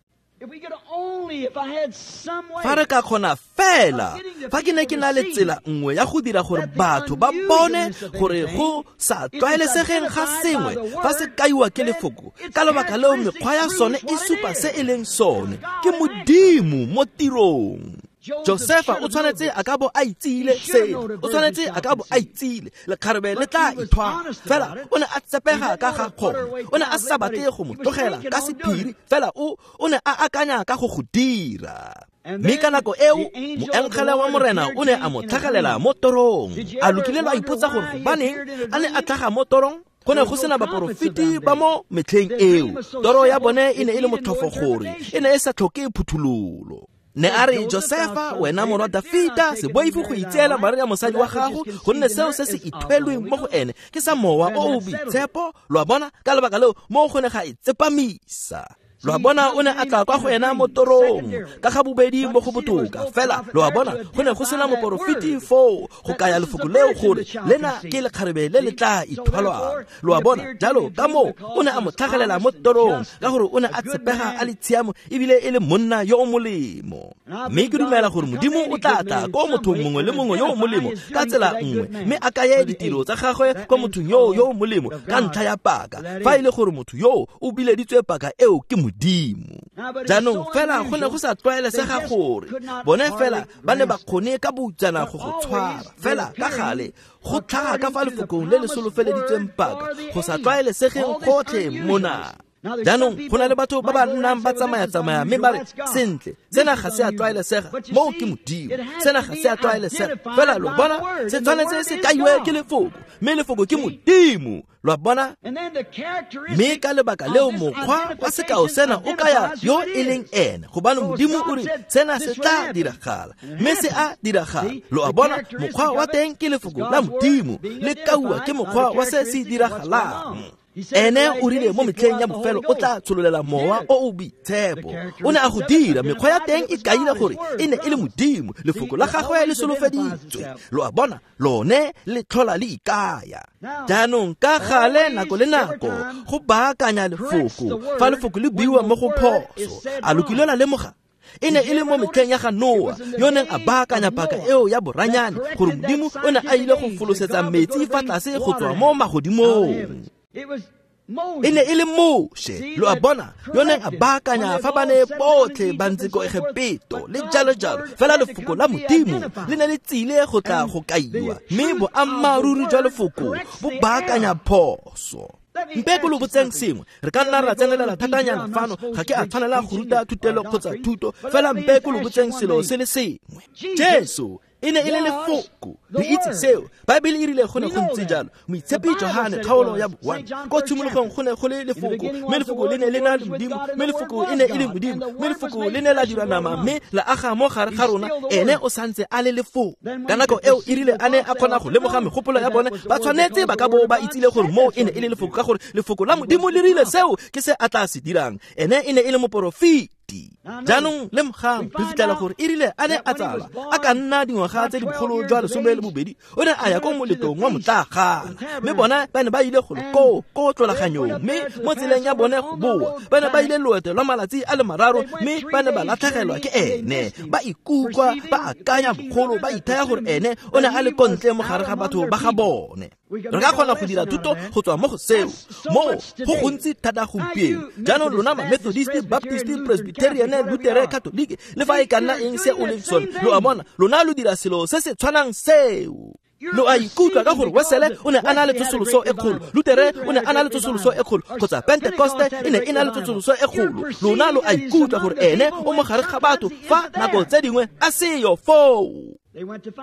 Fa re ka kgona fela, fa ke ne ke na le tsela nngwe ya go dira gore batho ba bone gore go sa tlwaelesegeng ga sengwe fa se kaiwa ke lefoko, ka lebaka leo mekgwa ya sone e supa se e leng sone, ke Modimo mo tirong. Josefa o tshwanetse a ka bo a itsile seo, o tshwanetse a ka bo a itsile lekgarebe le tla ithwala, fela o ne a tsepega ka ga kgone, o ne a sa batle go mo tlogela ka sephiri, fela o ne a akanya ka go go dira. Mme ka nako eo moengele wa Morena o ne a mo tlhagelela mo torong. A lokile lwa ipotsa gore gobaneng a ne a tlhaga mo torong? Go ne go sena baporofeti ba mo metlheng eo. Toro ya bone e ne e le motlhofo gore e ne e sa tlhoke phuthololo. Ne a re, Josefa, wena morwa Dafita, se boife go itseela Maria mosadi wa gago, gonne seo se se ithwelweng mo go ene ke sa Mowa o o Boitshepo. Lo a bona, ka lebaka leo mo go ne ga e tsepamisa. Lo a bona, o ne a tla kwa go ena mo torong ka ga bobedi mo go botoka. Fela lo a bona, go ne go sena moporofeti foo go kaya lefoko leo gore lena ke lekgarebe le le tla ithwalwang. Lo a bona, jalo ka moo o ne a mo tlhagelela mo torong ka gore o ne a tshepega a le tshiamo ebile e le monna yo o molemo. Mme ke dumela gore Modimo o tla tla ko mothong mongwe le mongwe yo o molemo ka tsela nngwe, mme a kaye ditiro tsa gagwe kwa mothong yo o molemo ka ntlha ya paka, fa e le gore motho yo o bileditswe paka eo ke Modimo. Jaanong fela go ne go sa tlwaelesega gore bone fela ba ne ba kgone ka boutsana go go tshwara. Fela ka gale go tlhaga ka fa lefokong le le solofeleditsweng paka go sa tlwaelesegeng gotlhe mona. Jaanong go na le batho ba ba nnang ba tsamaya-tsamaya mme ba re, sentle, sena ga se a tlwaelesega, moo ke Modimo, sena ga se a tlwaelesega. Fela lo bona, se tshwanetse se kaiwe ke lefoko, mme lefoko ke Modimo. Lo a bona? Mme ka lebaka leo mokgwa wa sekao sena o kaya yo e leng ene, gobane Modimo o re sena se tla diragala, mme se a diragala. Lo a bona, mokgwa wa teng ke lefoko la Modimo, le kauwa ke mokgwa wa se se diragalang. Ene o rile mo metlheng ya bofelo o tla tshololela Mowa o o Boitshepo. O ne a go dira, mekgwa ya teng e kaile gore e ne e le Modimo, lefoko la gagwe le solofeditswe. Lo a bona, lone le tlhola le ikaya. Jaanong ka gale nako le nako go baakanya lefoko fa lefoko le buiwa mo go phoso. A lo kile la lemoga? E ne e le mo metlheng ya ga Noa yo neng a baakanya paka eo ya boranyane gore Modimo o ne a ile go folosetsa metsi fa tlase go tswa mo magodimong. E ne e le Moshe, lo a bona, yo neng a baakanya fa ba ne botlhe ba ntse ko Egepeto le jalo jalo. Fela lefoko la Modimo le ne le tsile go tla go kaiwa, mme boammaaruri jwa lefoko bo baakanya phoso. Mpe ko lo botseng sengwe, re ka nna ra tsenelela thatanyana fano, ga ke a tshwanela go ruta thutelo kgotsa thuto, fela mpe ko lo botseng selo se le sengwe. Jesu e ne e le lefoko, re itse seo. Baebele e rile go ne go ntse jalo. Moitshepi Johane kgaolo ya 1, ko tshimologong go ne go le lefoko, mme lefoko le ne le na le Modimo, mme lefoko e ne e le Modimo, mme lefoko le ne la dirwa nama mme la aga mo gare ga rona. Ene o santse a le lefoko. Ka nako eo e rile a ne a kgona go lemoga megopolo ya bone, ba tshwanetse ba ka bo ba itsile gore moo e ne e le lefoko, ka gore lefoko la Modimo le rile seo ke se a tla se dirang. Ene e ne e le moporofeti. Jaanong lemogang, re fitlhela gore e rile a ne a tsalwa a ka nna dingwaga tse di bogolo jwa 12, o ne a ya ko moletong wa motlagana, mme bona ba ne ba ile golo koo ko tlolaganyong, mme mo tseleng ya bone go boa ba ne ba ile loeto lwa malatsi a le mararo, mme ba ne ba latlhegelwa ke ene. Ba ikutlwa ba akanya bogolo, ba ithaya gore ene o ne a le kontle mo gare ga batho ba ga bone. Re ka kgona go dira thuto go tswa mo go seo, mo go gontsi thata gompieno. Jaanong lona ma Methodist, Baptist, Presbyterian, Lutheran, Catholic, le fa e ka nna eng se o leng sone, lo a bona, lona lo dira selo se se tshwanang seo. Lo a ikutlwa ka gore Wesele o ne a na le tsosoloso e kgolo, Lutere o ne a na le tsosoloso e kgolo, kgotsa Pentekoste e ne e na le tsosoloso e kgolo. Lona lo a ikutlwa gore ene o mo gare ga batho fa nako tse dingwe a seyo foo.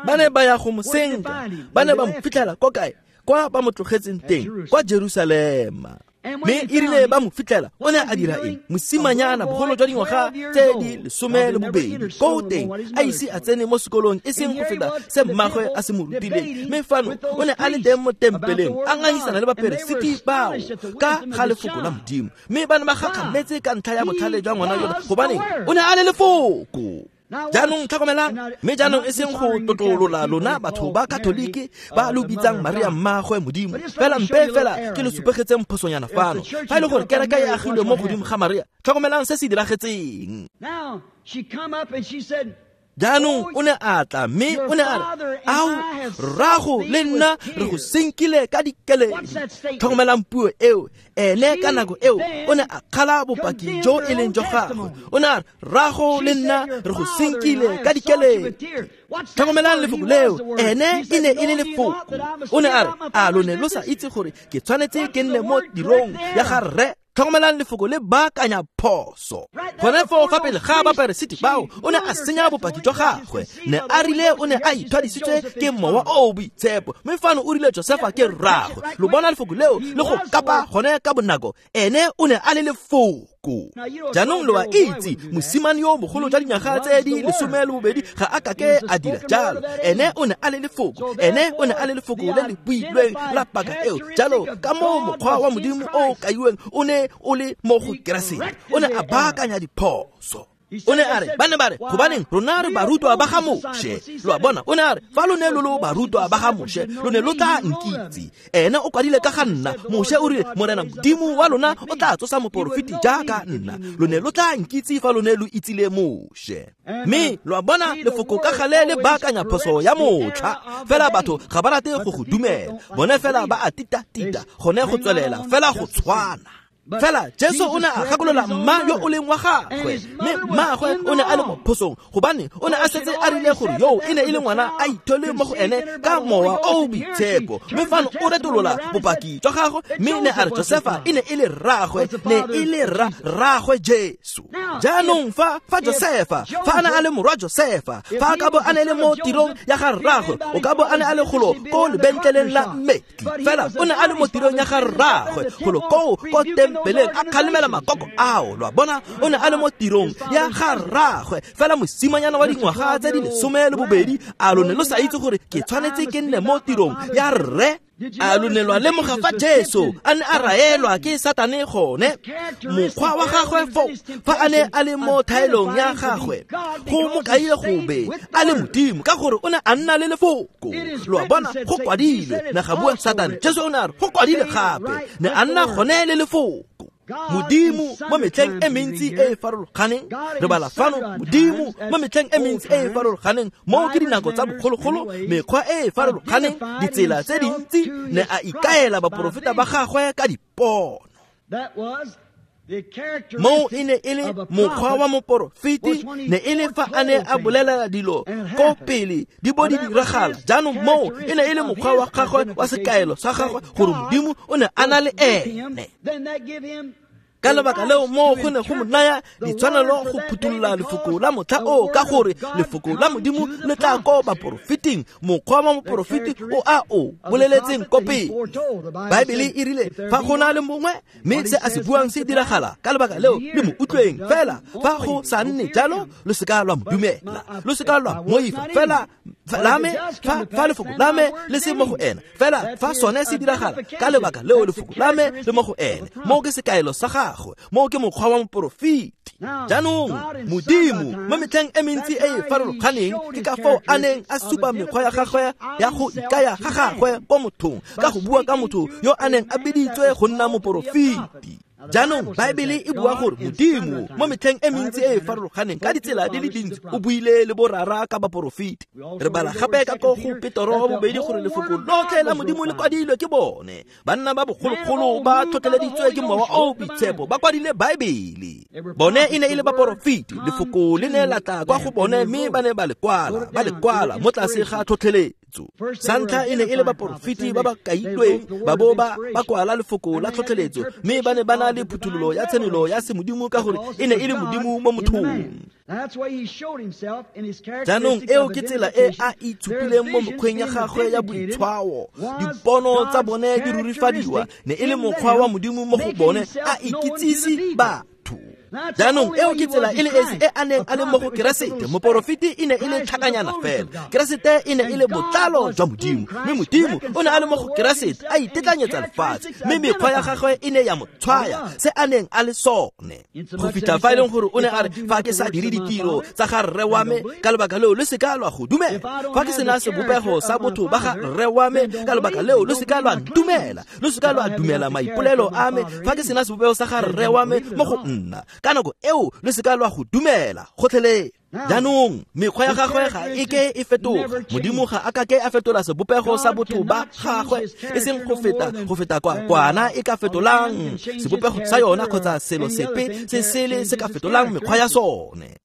Ba ne ba ya go mo senka, ba ne ba mo fitlhela ko kae? Kwa ba mo tlogetseng teng, kwa Jerusalema. Mme e rile ba mo fitlhela, o ne a dira eng? Mosimanyana bogolo jwa dingwaga tse di 12, ko teng a ise a tsene mo sekolong e seng go feta se mmagwe a se mo rutileng. Mme fano o ne a le teng mo tempeleng a ngangisana le baperesiti bao ka ga lefoko la Modimo, mme ba ne ba gakgametse ka ntlha ya botlhale jwa ngwana yona, gobane o ne a le lefoko. Jaanong tlhokomelang, mme jaanong e seng go tlotlolola lona batho ba Katoliki ba lo bitsang Maria mmagwe Modimo, fela mpe fela ke lo supegetseng phosonyana fano. Fa e le gore kereke e agilwe mo godimo ga Maria, tlhokomelang se se diragetseng. Jaanong o ne a tla mme o ne a re, ao, rrago le nna re go senkile ka dikeledi. Tlhokomelang puo eo. Ene ka nako eo o ne a kgala bopaki jo e leng jwa gagwe. O ne a re, rrago le nna re go senkile ka dikeledi. Tlhokomelang lefoko leo, ene e ne e le lefoko. O ne a re, a lo ne lo sa itse gore ke tshwanetse ke nne mo tirong ya ga rre? Tlhokomelang lefoko le baakanya phoso. Gone foo fa pele ga baperesiti bao, o ne a senya bopaki jwa gagwe. Ne a rile o ne a ithwadisitswe ke Mowa o o Boitshepo, mme fano o rile Josefa ke rraagwe. Lo bona lefoko leo le go kapa gone ka bonako. Ene o ne a le lefoko. Jaanong lo a itse, mosimane yo mogolo jwa dinyaga tse di 12 ga a kake a dira jalo. Ene o ne a le lefoko. Ene o ne a le lefoko le le builweng la paka eo. Jalo ka moo mokgwa wa Modimo o kaiweng o ne o le mo go Keresete. O ne a baakanya diphoso. O ne a re, ba ne ba re, gobaneng rona re barutwa ba ga Moshe. Lo a bona, o ne a re, fa lo ne lo lo barutwa ba ga Moshe, lo ne lo tla nkitse. Ene o kwadile ka ga nna. Moshe o rile, Morena Modimo wa lona o tla tsosa moporofeti jaaka nna. Lo ne lo tla nkitse fa lo ne lo itsile Moshe. Mme lo a bona, lefoko ka gale le baakanya phoso ya motlha. Fela batho ga ba rate go go dumela. Bone fela ba a tita-tita, gone go tswelela fela go tshwana. Fela Jesu o ne a gakolola mma yo o leng wa gagwe, mme mmaagwe o ne a le mo phosong, gobane o ne a setse a rile gore yo e ne e le ngwana a ithole mo go ene ka Mowa o o Boitshepo. Mme fano o retolola bopaki jwa gagwe, mme ne a re Josefa e ne e le rraagwe, ne e le rraagwe Jesu. Jaanong fa Josefa, fa a ne a le morwa Josefa, fa a ka bo a ne le mo tirong ya ga rraagwe, o ka bo a ne a le golo ko lebentleleng la mmetli. Fela o ne a le mo tirong ya ga rraagwe, golo koo ko tempeleng a kgalemela makoko ao. Lo a bona, o ne a le mo tirong ya ga rraagwe. Fela mosimanyana wa dingwaga tse di 12, a lo ne lo sa itse gore ke tshwanetse ke nne mo tirong ya rre? A lo ne lwa lemoga fa Jesu a ne a raelwa ke Satane gone? Mokgwa wa gagwe foo, fa a ne a le mo thaelong ya gagwe, go mo kaile go be a le Modimo, ka gore o ne a nna le lefoko. Lo a bona, go kwadilwe, ne ga bua Satane. Jesu o ne a re, go kwadile gape, ne a nna gone le lefoko. Modimo mo metlheng e mentsi e e farologaneng, re bala fano, Modimo mo metlheng e mentsi e e farologaneng, moo ke dinako tsa bogologolo, mekgwa e e farologaneng, ditsela tse dintsi, ne a ikaela baporofeta ba gagwe ka dipono. Moo e ne e le mokgwa wa moporofeti, ne e le fa a ne a bolela dilo ko pele di bo di diragala. Jaanong moo e ne e le mokgwa wa gagwe wa sekaelo sa gagwe gore Modimo o ne a na le ene. Ka lebaka leo moo go ne go mo naya ditshwanelo go phuthulola lefoko la motlha o, ka gore lefoko la Modimo le tla ko baporofeting, mokgwa wa moporofeti o a o boleletseng ko pele. Baebele e rile fa go na le mongwe mme se a se buang se diragala, ka lebaka leo le mo utlweng. Fela fa go sa nne jalo, lo seka lwa mo dumela, lo seka lwa moifa. Fela la me, fa lefoko la me le se mo go ene, fela fa sone se diragala, ka lebaka leo lefoko la me le mo go ene. Moo ke sekaelo sa gagwe, moo ke mokgwa wa moporofeti. Jaanong Modimo mo metlheng e mentsi e e farologaneng, ke ka foo a neng a supa mekgwa ya gagwe ya go ikaya ga gagwe ko mothong, ka go bua ka motho yo a neng a biditswe go nna moporofeti. Jaanong Baebele e bua gore Modimo mo metlheng e mentsi e e farologaneng ka ditsela di le dintsi o buile le borara ka baporofeti. Re bala gape ka ko go Petoro wa bobedi gore lefoko lotlhe la Modimo le kwadilwe ke bone. Banna ba bogologolo ba tlhotlheleditswe ke Mowa o o Boitshepo, ba kwadile Baebele. Bone e ne e le baporofeti, lefoko le ne la tla kwa go bone mme ba ne ba le kwala mo tlase ga tlhotlheletso. Sa ntlha e ne e le baporofeti ba ba kailweng, ba bo ba kwala lefoko la tlhotlheletso, mme ba ne ba na le phuthololo ya tshenolo ya semodimo, ka gore e ne e le Modimo mo mothong. Jaanong eo ke tsela e a itshupileng mo mokgweng ya gagwe ya boitshwao. Dipono tsa bone di rurifadiwa, ne e le mokgwa wa Modimo mo go bone, a ikitsise batho. Jaanong eo ke tsela e le esi e a neng a le mo go Keresete. Moporofeti e ne e le tlhakanyana fela, Keresete e ne e le botlalo jwa Modimo, mme Modimo o ne a le mo go Keresete a itetlanyetsa lefatshe, mme mekgwa ya gagwe e ne ya mo tshwaya se a neng a le sone. Go fitlha fa e leng gore o ne a re, fa ke sa dire ditiro tsa ga rre wa me, ka lebaka leo le seka lwa go dumela. Fa ke sena sebopego sa botho ba ga rre wa me, ka lebaka leo le seka lwa ntumela, lo seka lwa dumela maipolelo a me. Fa ke sena sebopego sa ga rre wa me mo go nna, ka nako eo le seka lwa go dumela gotlhelele. Jaanong mekgwa ya gagwe ga e ke e fetoga. Modimo ga a kake a fetola sebopego sa botho ba gagwe, e seng go feta kwa kwana e ka fetolang sebopego sa yona, kgotsa selo sepe se sele se ka fetolang mekgwa ya sone.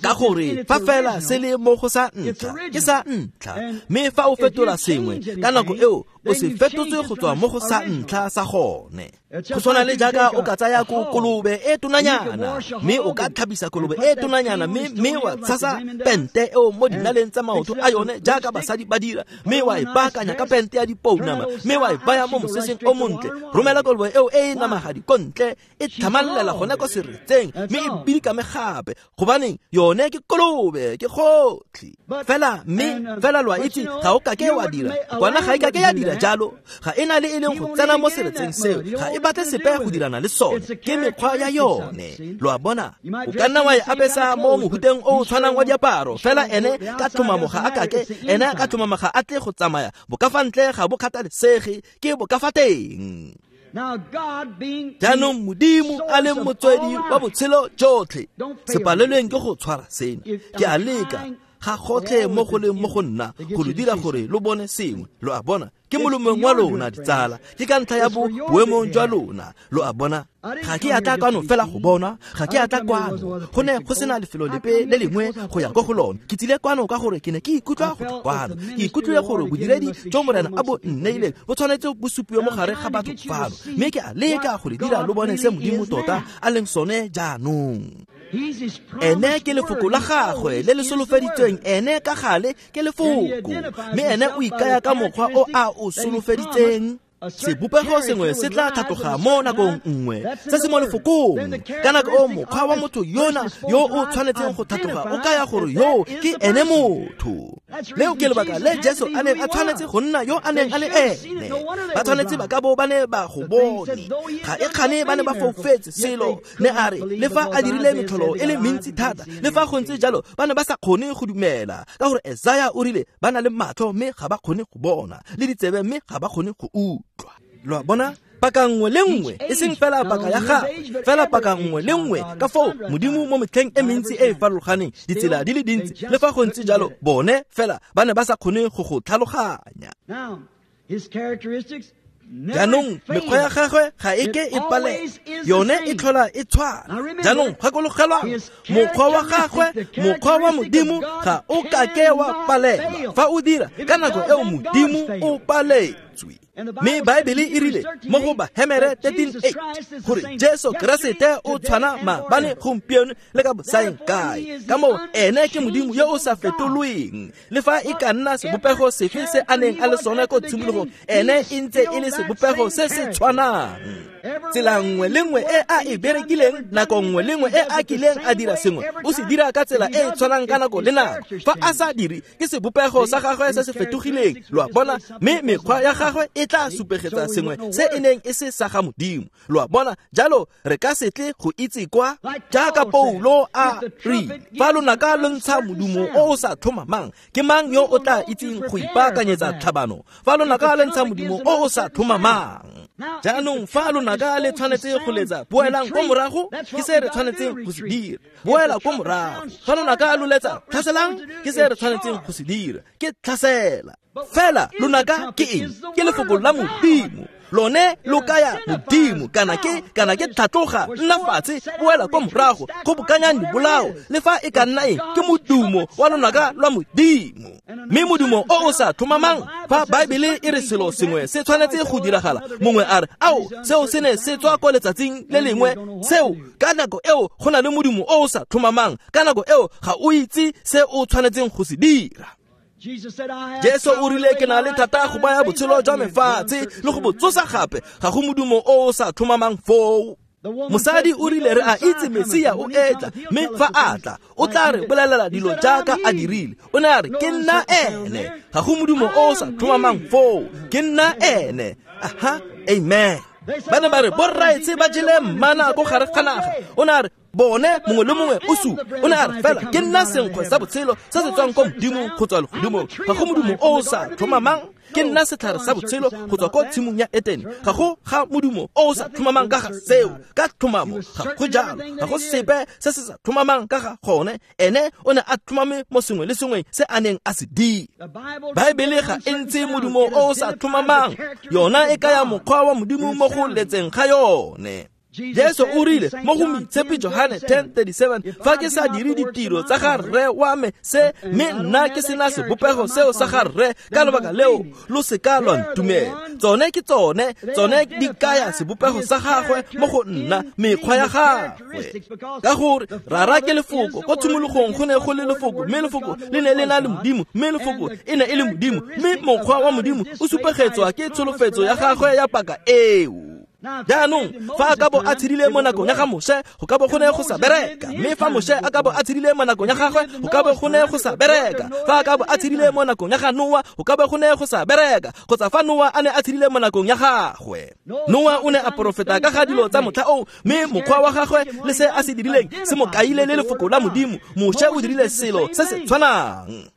Ka gore fa fela se le mo go sa ntlha, ke sa ntlha, mme fa o fetola sengwe ka nako eo o se fetotse go tswa mo go sa ntlha sa gone. Go tshwana le jaaka o ka tsaya ko kolobe e tonanyana, mme o ka tlhapisa kolobe e tonanyana, mme wa tshasa pente eo mo dinaleng tsa maoto a yone jaaka basadi ba dira, mme wa e baakanya ka pente ya dipounama, mme wa e baya mo moseseng o montle. Romela kolobe eo e e namagadi ko ntle, e tlhamallela gone ko seretseng, mme e bidikame gape, gobaneng yone ke kolobe, ke gotlhe fela. Mme fela lo a itse ga o kake wa dira kwana, ga e kake ya dira jalo, ga e na le e leng go tsena mo seretseng seo, ga e batle sepe go dirana le sone, ke mekgwa ya yone. Lo a bona, o ka nna wa e apesa mo mohuteng o o tshwanang wa diaparo, fela ene ka tlhomamo ga a kake, ene ka tlhomamo ga a tle go tsamaya bokafa ntle, ga bo kgathalesege, ke bokafa teng. Jaanong Modimo a leng motswedi wa botshelo jotlhe, se palelweng ke go tshwara sena. Ke a leka ga gotlhe mo go leng mo go nna go lo dira gore lo bone sengwe. Lo a bona, ke molomong wa lona ditsala, ke ka ntlha ya boemong jwa lona. Lo a bona, ga ke a tla kwano fela go bona, ga ke a tla kwano go ne go sena lefelo lepe le lengwe go ya ko go lone. Ke tsile kwano ka gore ke ne ke ikutlwa go tla kwano, ke ikutlwile gore bodiredi jo Morena a bo nneileng bo tshwanetse bo supiwe mo gare ga batho fano, mme ke a leka go le dira lo bone se Modimo tota a leng sone jaanong. Ene ke lefoko la gagwe le le solofeditsweng, ene ka gale ke lefoko, mme ene o ikaya ka mokgwa o a o solofeditseng. Sebopego sengwe se tla tlhatloga mo nakong nngwe, se se mo lefokong. Ka nako o mokgwa wa motho yona yo o tshwanetseng go tlhatloga o kaya gore yo ke ene motho. Leo ke lebaka le Jesu a neng a tshwanetse go nna yo a neng a le ene. Ba tshwanetse ba ka bo ba ne ba go bone, ga e kgane ba ne ba foufetse selo. Ne a re le fa a dirile metlholo e le mentsi thata, le fa go ntse jalo ba ne ba sa kgone go dumela, ka gore Esaya o rile ba na le matlho mme ga ba kgone go bona, le ditsebe mme ga ba kgone go utlwa. Lo a bona, paka nngwe le nngwe, e seng fela paka ya gagwe, fela paka nngwe le nngwe. Ka foo Modimo mo metlheng e mentsi e e farologaneng, ditsela di le dintsi, le fa go ntse jalo bone fela ba ne ba sa kgone go go tlhaloganya. Jaanong mekgwa ya gagwe ga e ke e palelwe, yone e tlhola e tshwana. Jaanong gakologelwang, mokgwa wa gagwe, mokgwa wa Modimo ga o kake wa palelwa. Fa o dira ka nako eo Modimo o paletswe. Mme Baebele e rile mo go Bahemere 13:8 gore Jesu Keresete o tshwana maabane, gompieno le ka bosaeng kae. Ka moo ene ke Modimo yo o sa fetolweng, le fa e ka nna sebopego sefe se a neng a le sone ko tshimologong, ene e ntse e le sebopego se se tshwanang. Tsela nngwe le nngwe e a e berekileng, nako nngwe le nngwe e a kileng a dira sengwe, o se dira ka tsela e e tshwanang ka nako le nako. Fa a sa dire, ke sebopego sa gagwe se se fetogileng. Lo a bona, mme mekgwa ya gagwe e tla supegetsa sengwe se e neng e se sa ga Modimo. Lo a bona, jalo re ka se tle go itse kwa, jaaka Paulo a re, fa lonaka lo ntsha modumo o o sa tlhomamang, ke mang yo o tla itseng go ipaakanyetsa tlhabano? Fa lonaka le ntsha modumo o o sa tlhomamang. Jaanong fa lonaka le tshwanetse go letsa, boelang ko morago, ke se re tshwanetseng go se dira. Boela ko morago. Fa lonaka lo letsa, tlhaselang, ke se re tshwanetseng go se dira, ke tlhasela. Fela lonaka ke eng? Ke lefoko la Modimo. Lone lo kaya Modimo, kana ke tlhatloga, nna fatshe, boela ko morago, kgobokanyang dibolao, le fa e ka nna eng, ke modumo wa lonaka lwa Modimo. Mme modumo o o sa tlhomamang, fa Baebele e re selo sengwe se tshwanetse go diragala, mongwe a re, ao, seo se ne se tswa ko letsatsing le lengwe, seo ka nako eo go na le modumo o o sa tlhomamang, ka nako eo ga o itse se o tshwanetseng go se dira. Jesu o rile ke na le thata go baya botshelo jwa me fatshe le go bo tsosa gape, ga go modumo o o sa tlhomamang foo. Mosadi o rile re a itse Mesia o etla, mme fa a tla o tla re bolelela dilo jaaka a dirile. O ne a re ke nna ene, ga go modumo o o sa tlhomamang foo, ke nna ene. Aha, amen. Ba ne ba re borraetshe ba jele mmana ko gare ga naga. O ne a re bone mongwe le mongwe o supa. O ne a re fela ke nna senkgwe sa botshelo se se tswang ko Modimo go tswa legodimong, ga go modumo o o sa tlhomamang. Ke nna setlhare sa botshelo go tswa ko tshimong ya Etene, ga go ga modumo o o sa tlhomamang ka ga seo. Ka tlhomamo ga go jalo, ga go sepe se se sa tlhomamang ka ga gone. Ene o ne a tlhomame mo sengwe le sengwe se a neng a se dira. Baebele ga e ntse modumo o o sa tlhomamang, yona e kaya mokgwa wa Modimo mo go letseng ga yone. Jesu o rile mo go Moitshepi Johane 10:37, fa ke sa dire ditiro tsa ga rre wa me se, mme nna ke sena sebopego seo sa ga rre, ka lebaka leo lo seka lwa ntumela. Tsone ke tsone, tsone di kaya sebopego sa gagwe mo go nna, mekgwa ya gagwe. Ka gore rara ke lefoko, ko tshimologong go ne go le lefoko, mme lefoko le ne le na le Modimo, mme lefoko e ne e le Modimo, mme mokgwa wa Modimo o supegetswa ke tsholofetso ya gagwe ya paka eo. Jaanong fa a ka bo a tshedile mo nakong ya ga Moshe, go ka bo go ne go sa bereka. Mme fa Moshe a ka bo a tshedile mo nakong ya gagwe, go ka bo go ne go sa bereka. Fa a ka bo a tshedile mo nakong ya ga Noa, go ka bo go ne go sa bereka. Kgotsa fa Noa a ne a tshedile mo nakong ya gagwe, Noa o ne a porofeta ka ga dilo tsa motlha oo, mme mokgwa wa gagwe le se a se dirileng se mo kaile le lefoko la Modimo. Moshe o dirile selo se se tshwanang.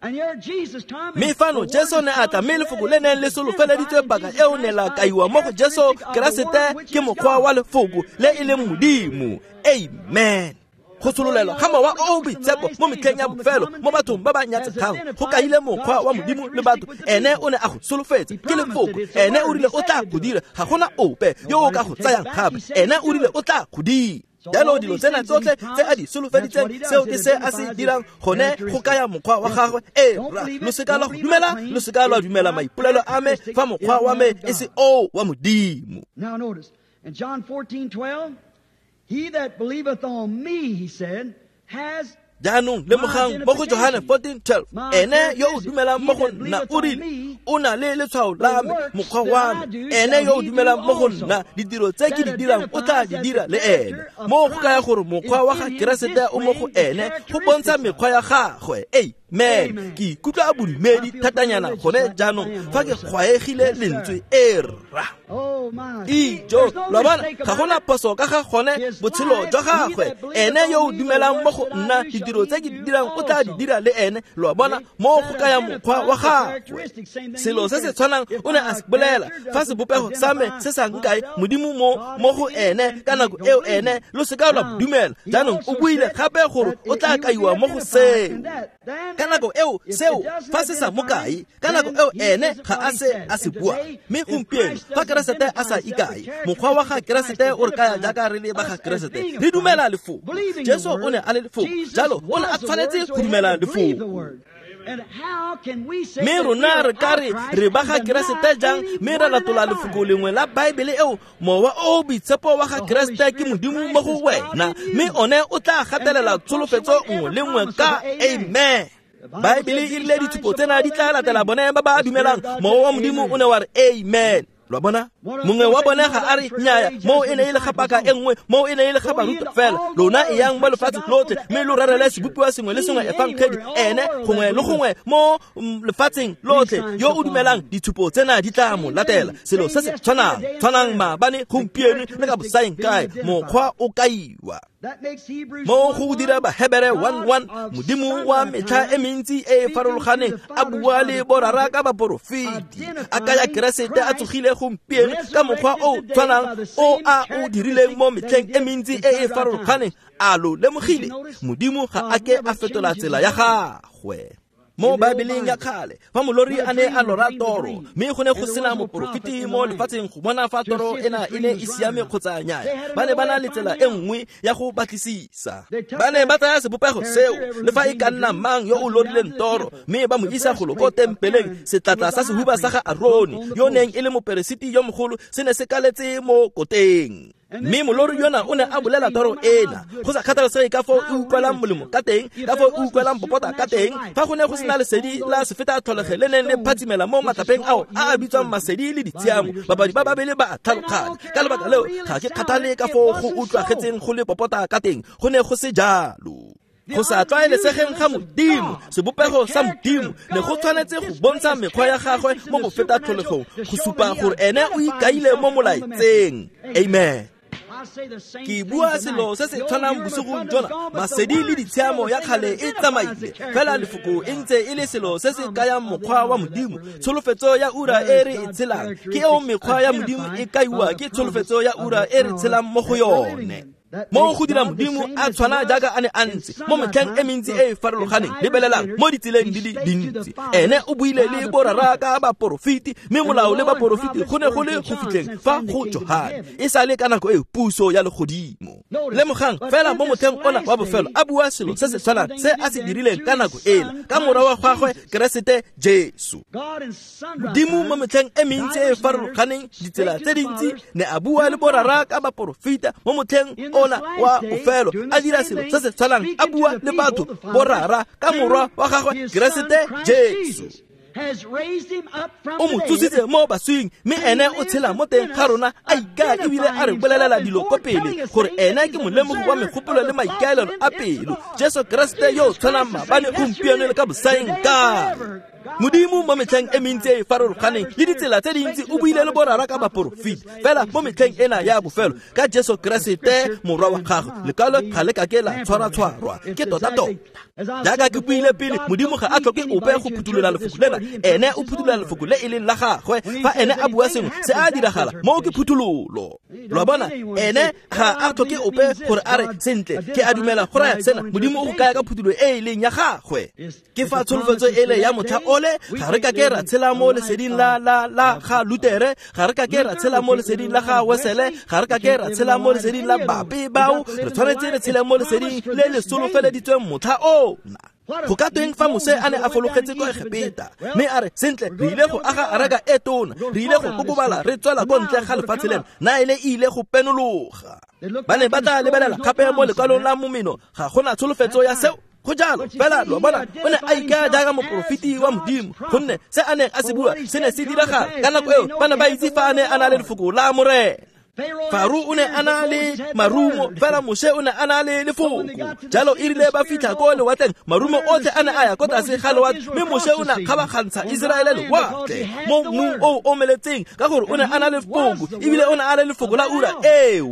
Mme fano Jesu ne a tla, mme lefoko le neng le solofeleditswe paka eo ne la kaiwa mo go Jesu Keresete ke mokgwa wa lefoko le e leng Modimo. Amen. Go tshololelwa ga Mowa o o Boitshepo mo metlheng ya bofelo mo bathong ba ba nyatsegang go kaile mokgwa wa Modimo le batho. Ene o ne a go solofetse ke lefoko, ene o rile o tla go dira, ga gona ope yo o ka go tsayang gape. Ene o rile o tla go dira. Jalo dilo tsena tsotlhe tse a di solofeditseng, seo ke se a se dirang, gone go kaya mokgwa wa gagwe. Ee, lo seka lwa go dumela, lo seka lwa dumela maipolelo a me fa mokgwa wa me e se oo wa Modimo. Now notice, in John 14:12, he that believeth on me, he said, has Jaanong lemogang mo go Johane 14:12, ene yo o dumelang mo go nna o rile o na le letshwao la me, mokgwa wa me. Ene yo o dumelang mo go nna, ditiro tse ke di dirang o tla di dira le ene. Mo go kaya gore mokgwa wa ga Keresete o mo go ene, go bontsha mekgwa ya gagwe. Amen. Ke ikutlwa a bodumedi thatanyana gone jaanong fa ke kgwaegile lentswe e rra. Ijo, lo bona, ga gona phoso ka ga gone botshelo jwa gagwe. Ene yo o dumelang mo go nna, ditiro tse ke di dirang o tla di dira le ene. Lo bona, mo go kaya mokgwa wa gagwe. Selo se se tshwanang o ne a se bolela, fa sebopego sa me se sa nkae Modimo mo go ene ka nako eo ene, lo seka lwa dumela. Jaanong o buile gape gore o tla kaiwa mo go seo. Ka nako eo seo fa se sa mo kae, ka nako eo ene ga a se a se bua. Mme gompieno fa Keresete a sa ikae, mokgwa wa ga Keresete o re kaya jaaka re le ba ga Keresete, re dumela lefoko. Jesu o ne a le lefoko, jalo o ne a tshwanetse go dumela lefoko. Mme rona re ka re re ba ga Keresete jang, mme re latola lefoko lengwe la Baebele eo? Mowa o Boitshepo wa ga Keresete ke Modimo mo go wena, mme one o tla gatelela tsholofetso nngwe le nngwe ka amen. Baebele e rile ditshupo tsena di tla latela bone ba ba dumelang. Mowa wa Modimo o ne wa re amen. Lo bona, mongwe wa bone ga a re nnyaya, moo e ne e le ga paka e nngwe, moo e ne e le ga barutwa fela. Lona e yang mo lefatsheng lotlhe, mme lo rerele sebopiwa sengwe le sengwe efangedi, ene gongwe le gongwe mo lefatsheng lotlhe. Yo o dumelang, ditshupo tsena di tla mo latela. Selo se se tshwanang maabane, gompieno le ka bosaeng kae, mokgwa o kaiwa. Mo go dira Bahebere 1:1, Modimo wa metlha e mentsi e e farologaneng a bua le borara ka baporofeti, a kaya Keresete a tsogile gompieno ka mokgwa o tshwanang o a o dirileng mo metlheng e mentsi e e farologaneng. A lo lemogile? Modimo ga a ke a fetola tsela ya gagwe. Mo Baebeleng ya kgale, fa molori a ne a lora toro, mme go ne go sena moporofeti mo lefatsheng go bona fa toro ena e ne e siame kgotsa nnyaya, ba ne ba na le tsela e nngwe ya go batlisisa. Ba ne ba tsaya sebopego seo, le fa e ka nna mang yo o lorileng toro, mme ba mo isa golo ko tempeleng. Setlatla sa sehuba sa ga Arone, yo neng e le moperesiti yo mogolo, se ne se kaletse mo koteng. Mme molori yona o ne a bolela toro ena, go sa kgathalesege ka foo e utlwelang molemo ka teng, ka foo e utlwelang popota ka teng. Fa go ne go sena lesedi la sefeta tlholege le neng le phatsimela mo matlapeng ao a a bitswang masedi le ditshiamo, babadi ba babele ba a tlhaloganya. Ka lebaka leo ga ke kgathale ka foo go utlwagetseng go le popota ka teng, go ne go se jalo. Go sa tlwaelesegeng ga Modimo, sebopego sa Modimo ne go tshwanetse go bontsha mekgwa ya gagwe mo go feta tlholegong, go supa gore ene o ikaile mo molaetseng. Amen. Ke bua selo se se tshwanang bosigong jona, masedi le ditshiamo ya kgale e tsamaile, fela lefoko e ntse e le selo se se kayang mokgwa wa Modimo. Tsholofetso ya ura e re e tshelang ke eo mekgwa ya Modimo e kaiwa ke tsholofetso ya ura e re tshelang mo go yone. Mo go dira Modimo a tshwana jaaka a ne a ntse mo metlheng e mentsi e e farologaneng, lebelelang mo ditseleng di le dintsi. Ene o buile le borara ka baporofeti, mme molao le baporofeti go ne go le go fitlheng fa go Johane, e sale ka nako e puso ya legodimo. Lemogang fela mo motlheng ona wa bofelo a bua selo se se tshwanang se a se dirileng ka nako ela ka morwa wa gagwe Keresete Jesu. Modimo mo metlheng e mentsi e e farologaneng, ditsela tse dintsi, ne a bua le borara ka baporofeta mo motlheng ona wa bofelo a dira selo se se tshwanang, a bua le batho borara ka morwa wa gagwe Keresete Jesu. O mo tsositse mo baswing, mme ene o tshela mo teng ga rona, a ikaya ebile a re bolelela dilo ko pele gore ene ke molemogi wa megopolo le maikaelelo a pelo, Jesu Keresete yo o tshwanang maabane, gompieno le ka bosaeng kae. Modimo mo metlheng e mentsi e e farologaneng le ditsela tse dintsi o buile le borara ka baporofeti, fela mo metlheng ena ya bofelo ka Jesu Keresete morwa wa gagwe, lekwalo ga le kake la tshwaratshwarwa ke tota-tota. Jaaka ke buile pele, Modimo ga a tlhoke ope go phuthulola lefoko lena, ene o phuthulola lefoko le e leng la gagwe. Fa ene a bua sengwe se a diragala, moo ke phuthololo. Lo a bona, ene ga a tlhoke ope gore a re sentle ke a dumela go raya sena, Modimo o go kaya ka phuthulo e e leng ya gagwe. Ke fa tsholofetso ele ya motlha ole, ga re kake ra tshela mo leseding la la la ga Lutere, ga re kake ra tshela mo leseding la ga Wesele, ga re kake ra tshela mo leseding la bape bao, re tshwanetse re tshele mo leseding le le solofeleditsweng motlha ona. Go ka tweng fa Mose a ne a fologetse kwa Egepeta mme a re, sentle re ile go aga araka e tona, re ile go kokobala re tswela ko ntle ga lefatshe lena, Naele e ile go penologa. Ba ne ba tla lebelela gape mo lekwalong la momeno, ga gona tsholofetso ya seo. Go jalo fela, lo bona, o ne a ikaya jaaka moporofeti wa Modimo, gonne se a neng a se bua se ne se diragala ka nako eo. Ba ne ba itse fa a ne a na le lefoko la Morena. Faro o ne a na le marumo, fela Moshe o ne a na le lefoko. Jalo e rile ba fitlha ko lewatleng, marumo otlhe a ne a ya ko tlase ga lewatle, mme Moshe o ne a kgabagantsha Iseraele lewatle mo mmung o omeletseng, ka gore o ne a na le lefoko, ebile o ne a le lefoko la ura eo.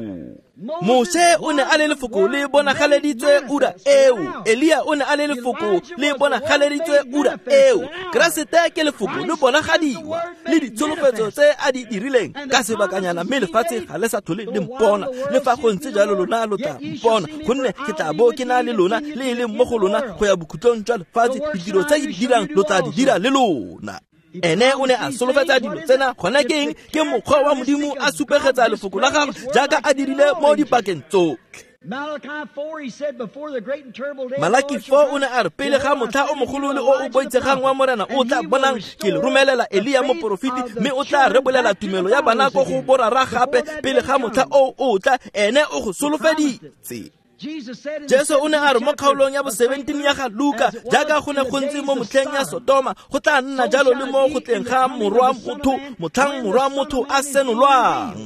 Moshe o ne a le lefoko le bonagaleditswe ura eo, Elia o ne a le lefoko le bonagaleditswe ura eo, Keresete ke lefoko le bonagadiwa le ditsholofetso tse a di dirileng ka sebakanyana, mme lefatshe ga le sa tlhole le mpona. Le fa go ntse jalo lona lo tla mpona, gonne ke tla bo ke na le lona le e leng mo go lona go ya bokhutlong jwa lefatshe. Ditiro tse ke di dirang lo tla di dira le lona. Ene o ne a solofetsa dilo tsena, gone ke eng? Ke mokgwa wa Modimo a supegetsa lefoko la gagwe jaaka a dirile mo dipakeng tsotlhe. Malaki 4 o ne a re, pele ga motlha o mogolo le o o boitshegang wa Morena o tla bonang, ke le romelela Elia moporofeti, mme o tla rebolela tumelo ya bana ko go borara gape pele ga motlha o o tla. Ene o go solofeditse. Jesu o ne a re mo kgaolong ya bo 17 ya ga Luka, jaaka go ne go ntse mo motlheng ya Sodoma, go tla nna jalo le mo go tleng ga morwa motho, motlhang morwa motho a senolwang.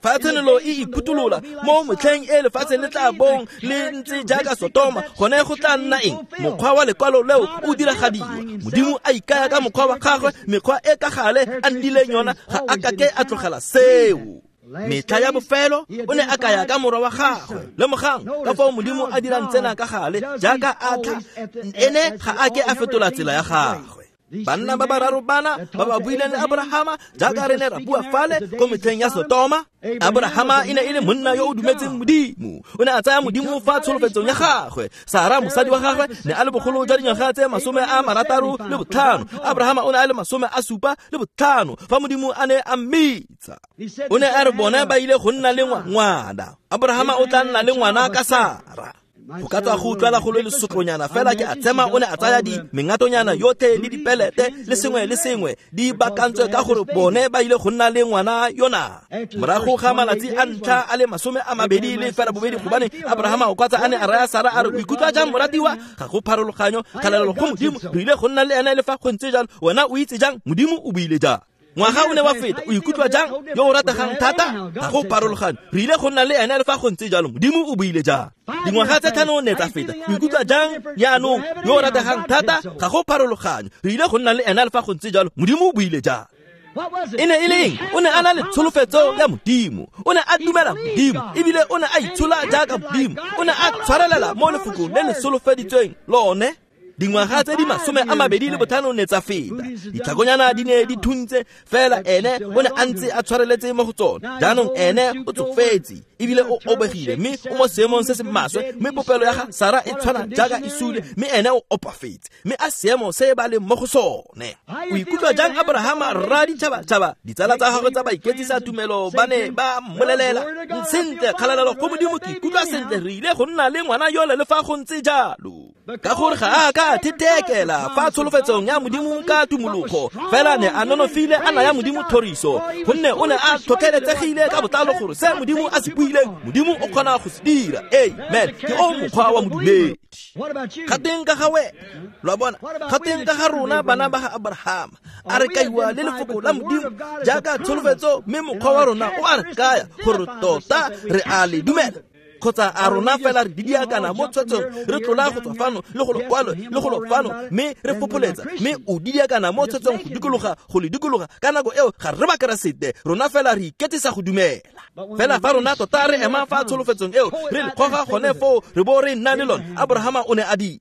Fa tshenolo e iphuthulola mo motlheng e lefatshe le tla bong le ntse jaaka Sodoma, gone go tla nna eng? Mokgwa wa lekwalo leo o diragadiwa. Modimo a ikaya ka mokgwa wa gagwe, mekgwa e ka gale a nnileng yona, ga a kake a tlogela seo. Metlha ya bofelo o ne a kaya ka morwa wa gagwe. Lemogang ka fao Modimo a dirang tsena ka gale, jaaka a tla, ene ga a ke a fetola tsela ya gagwe. Banna ba bararo bana ba ba buileng le Abrahama, jaaka re ne ra bua fale ko metlheng ya Sodoma, Abrahama e ne e le monna yo o dumetseng Modimo. O ne a tsaya Modimo fa tsholofetsong ya gagwe. Sara mosadi wa gagwe ne a le bogolo jwa dingwaga tse 65, Abrahama o ne a le 75 fa Modimo a ne a mmitsa. O ne a re bona ba ile go nna le ngwana, Abrahama o tla nna le ngwana ka Sara. Go ka tswa go utlwala go le lesotlonyana fela, ke a tsema o ne a tsaya di mengatonyana yotlhe le dipelete le sengwe le sengwe di bakantswe ka gore bone ba ile go nna le ngwana yona. Morago ga malatsi a ntlha a le 28, gobane Abrahama o kwatsa a ne a raya Sara a re, o ikutlwa jang moratiwa? Ga go pharologanyo, kgalalelo go Modimo, re ile go nna le ene le fa go ntse jalo. Wena o itse jang? Modimo o buile jang? Ngwaga o ne wa feta, o ikutlwa jang yo o rategang thata? Ga go pharologanyo, re ile go nna le ene le fa go ntse jalo. Modimo o buile jang? Dingwaga tse 5 ne tsa feta, o ikutlwa jang jaanong yo o rategang thata? Ga go pharologanyo, re ile go nna le ene le fa go ntse jalo. Modimo o buile jang? E ne e le eng? O ne a na le tsholofetso ya Modimo, o ne a dumela Modimo, ebile o ne a itshola jaaka Modimo, o ne a tshwarelela mo lefokong le le solofeditsweng lone. Dingwaga tse di 25 ne tsa feta, ditlhakonyana di ne di thuntse, fela ene o ne a ntse a tshwareletse mo go tsone. Jaanong ene o tsofetse ebile o obegile, mme o mo seemong se se maswe, mme popelo ya ga Sara e tshwana jaaka e sule, mme ene o opafetse, mme a seemo se ba leng mo go sone. O ikutlwa jang Abrahama rra ditšhabatšhaba? Ditsala tsa gagwe tsa baiketsisa tumelo ba ne ba mmolelela, sentle, kgalalelo go Modimo, ke ikutlwa sentle, re ile go nna le ngwana yole le fa go ntse jalo. Ka gore ga a ka thetekela fa tsholofetsong ya Modimo ka tumologo, fela ne a nonofile a naya Modimo thoriso, gonne o ne a tlhotlheletsegile ka botlalo gore se Modimo a se buileng, Modimo o kgona go se dira. Amen. Ke o mokgwa wa modumedi. Ga teng ka ga wena, lo a bona, ga teng ka ga rona bana ba ga Abrahama, a re kaiwa le lefoko la Modimo jaaka tsholofetso, mme mokgwa wa rona o a re kaya gore tota re a le dumela, kgotsa a rona fela re didiakana mo tshwetsong, re tlola go tswa fano le go lokwalo le go lofano, mme re fopholetsa, mme o didiakana mo tshwetsong go dikologa go le dikologa. Ka nako eo ga re Bakeresete, rona fela re iketsisa go dumela. Fela fa rona tota re ema fa tsholofetsong eo, re le goga gone foo, re bo re nna le lone. Abrahama o ne a dira.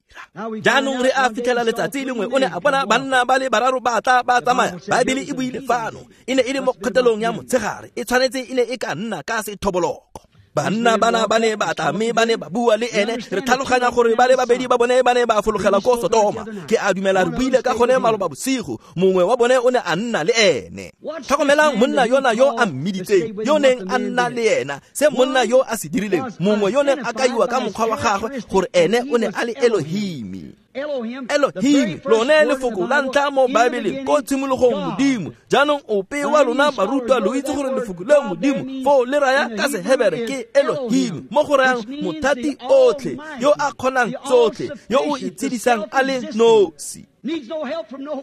Jaanong re a fitlhela letsatsi lengwe o ne a bona banna ba le bararo ba tla ba tsamaya. Baebele e buile fano, e ne e le mo kgotelong ya motshegare, e tshwanetse e ne e ka nna ka sethoboloko. Banna bana ba ne ba tla mme ba ne ba bua le ene. Re tlhaloganya gore ba le babedi ba bone ba ne ba fologela ko Sodoma. Ke a dumela re buile ka gone maloba bosigo, mongwe wa bone o ne a nna le ene. Tlhokomelang monna yona yo a mmiditseng, yo neng a nna le ena, se monna yo a se dirileng, mongwe yo neng a kaiwa ka mokgwa wa gagwe gore ene o ne a le Elohimi. Elohim, lone lefoko la ntlha mo Baebeleng, ko tshimologong Modimo. Jaanong ope wa lona barutwa lo itse gore lefoko leo Modimo foo le raya ka Sehebere ke Elohim, mo go rayang mothati otlhe, yo a kgonang tsotlhe, yo o itshedisang a le nosi.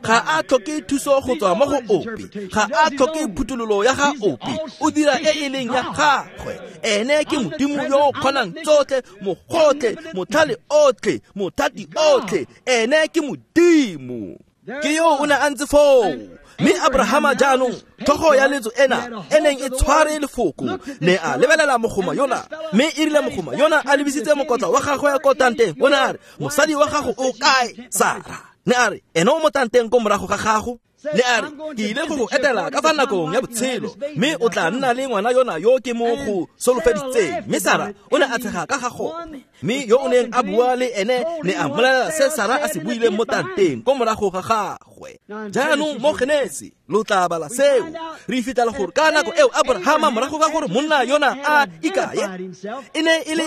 Ga a tlhoke thuso go tswa mo go ope, ga a tlhoke phuthololo ya ga ope, o dira e e leng ya gagwe. Ene ke Modimo yo o kgonang tsotlhe, mogotlhe, motlhale otlhe, mothati otlhe. Ene ke Modimo. Ke yo o ne a ntse foo. Mme Abrahama jaanong, tlhogo ya letso ena e neng e tshware lefoko, ne a lebelela mogoma yona, mme e rile mogoma yona a lebisitse mokotla wa gagwe ko tanteng, o ne a re, mosadi wa gago o kae, Sara? Ne a re, ene o mo tanteng ko morago ga gago. Ne a re, ke ile go go etela ka fa nakong ya botshelo, mme o tla nna le ngwana yona yo ke mo go solofeditseng. Mme Sara o ne a tshega ka ga gone, mme yo o neng a bua le ene ne a mmolelela se Sara a se buileng mo tanteng ko morago ga gagwe. Jaanong mo Genesi lo tla bala seo, re fitlhela gore ka nako eo Abrahama, morago ga gore monna yona a ikaye, e ne e le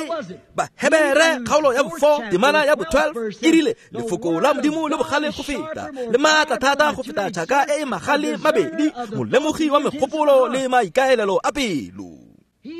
Bahebere kgaolo ya bo-4 temana ya bo-12, e rile lefoko la Modimo le bogale go feta, le maatla thata go feta tšhaka e e magale mabedi, molemogi wa megopolo le maikaelelo a pelo.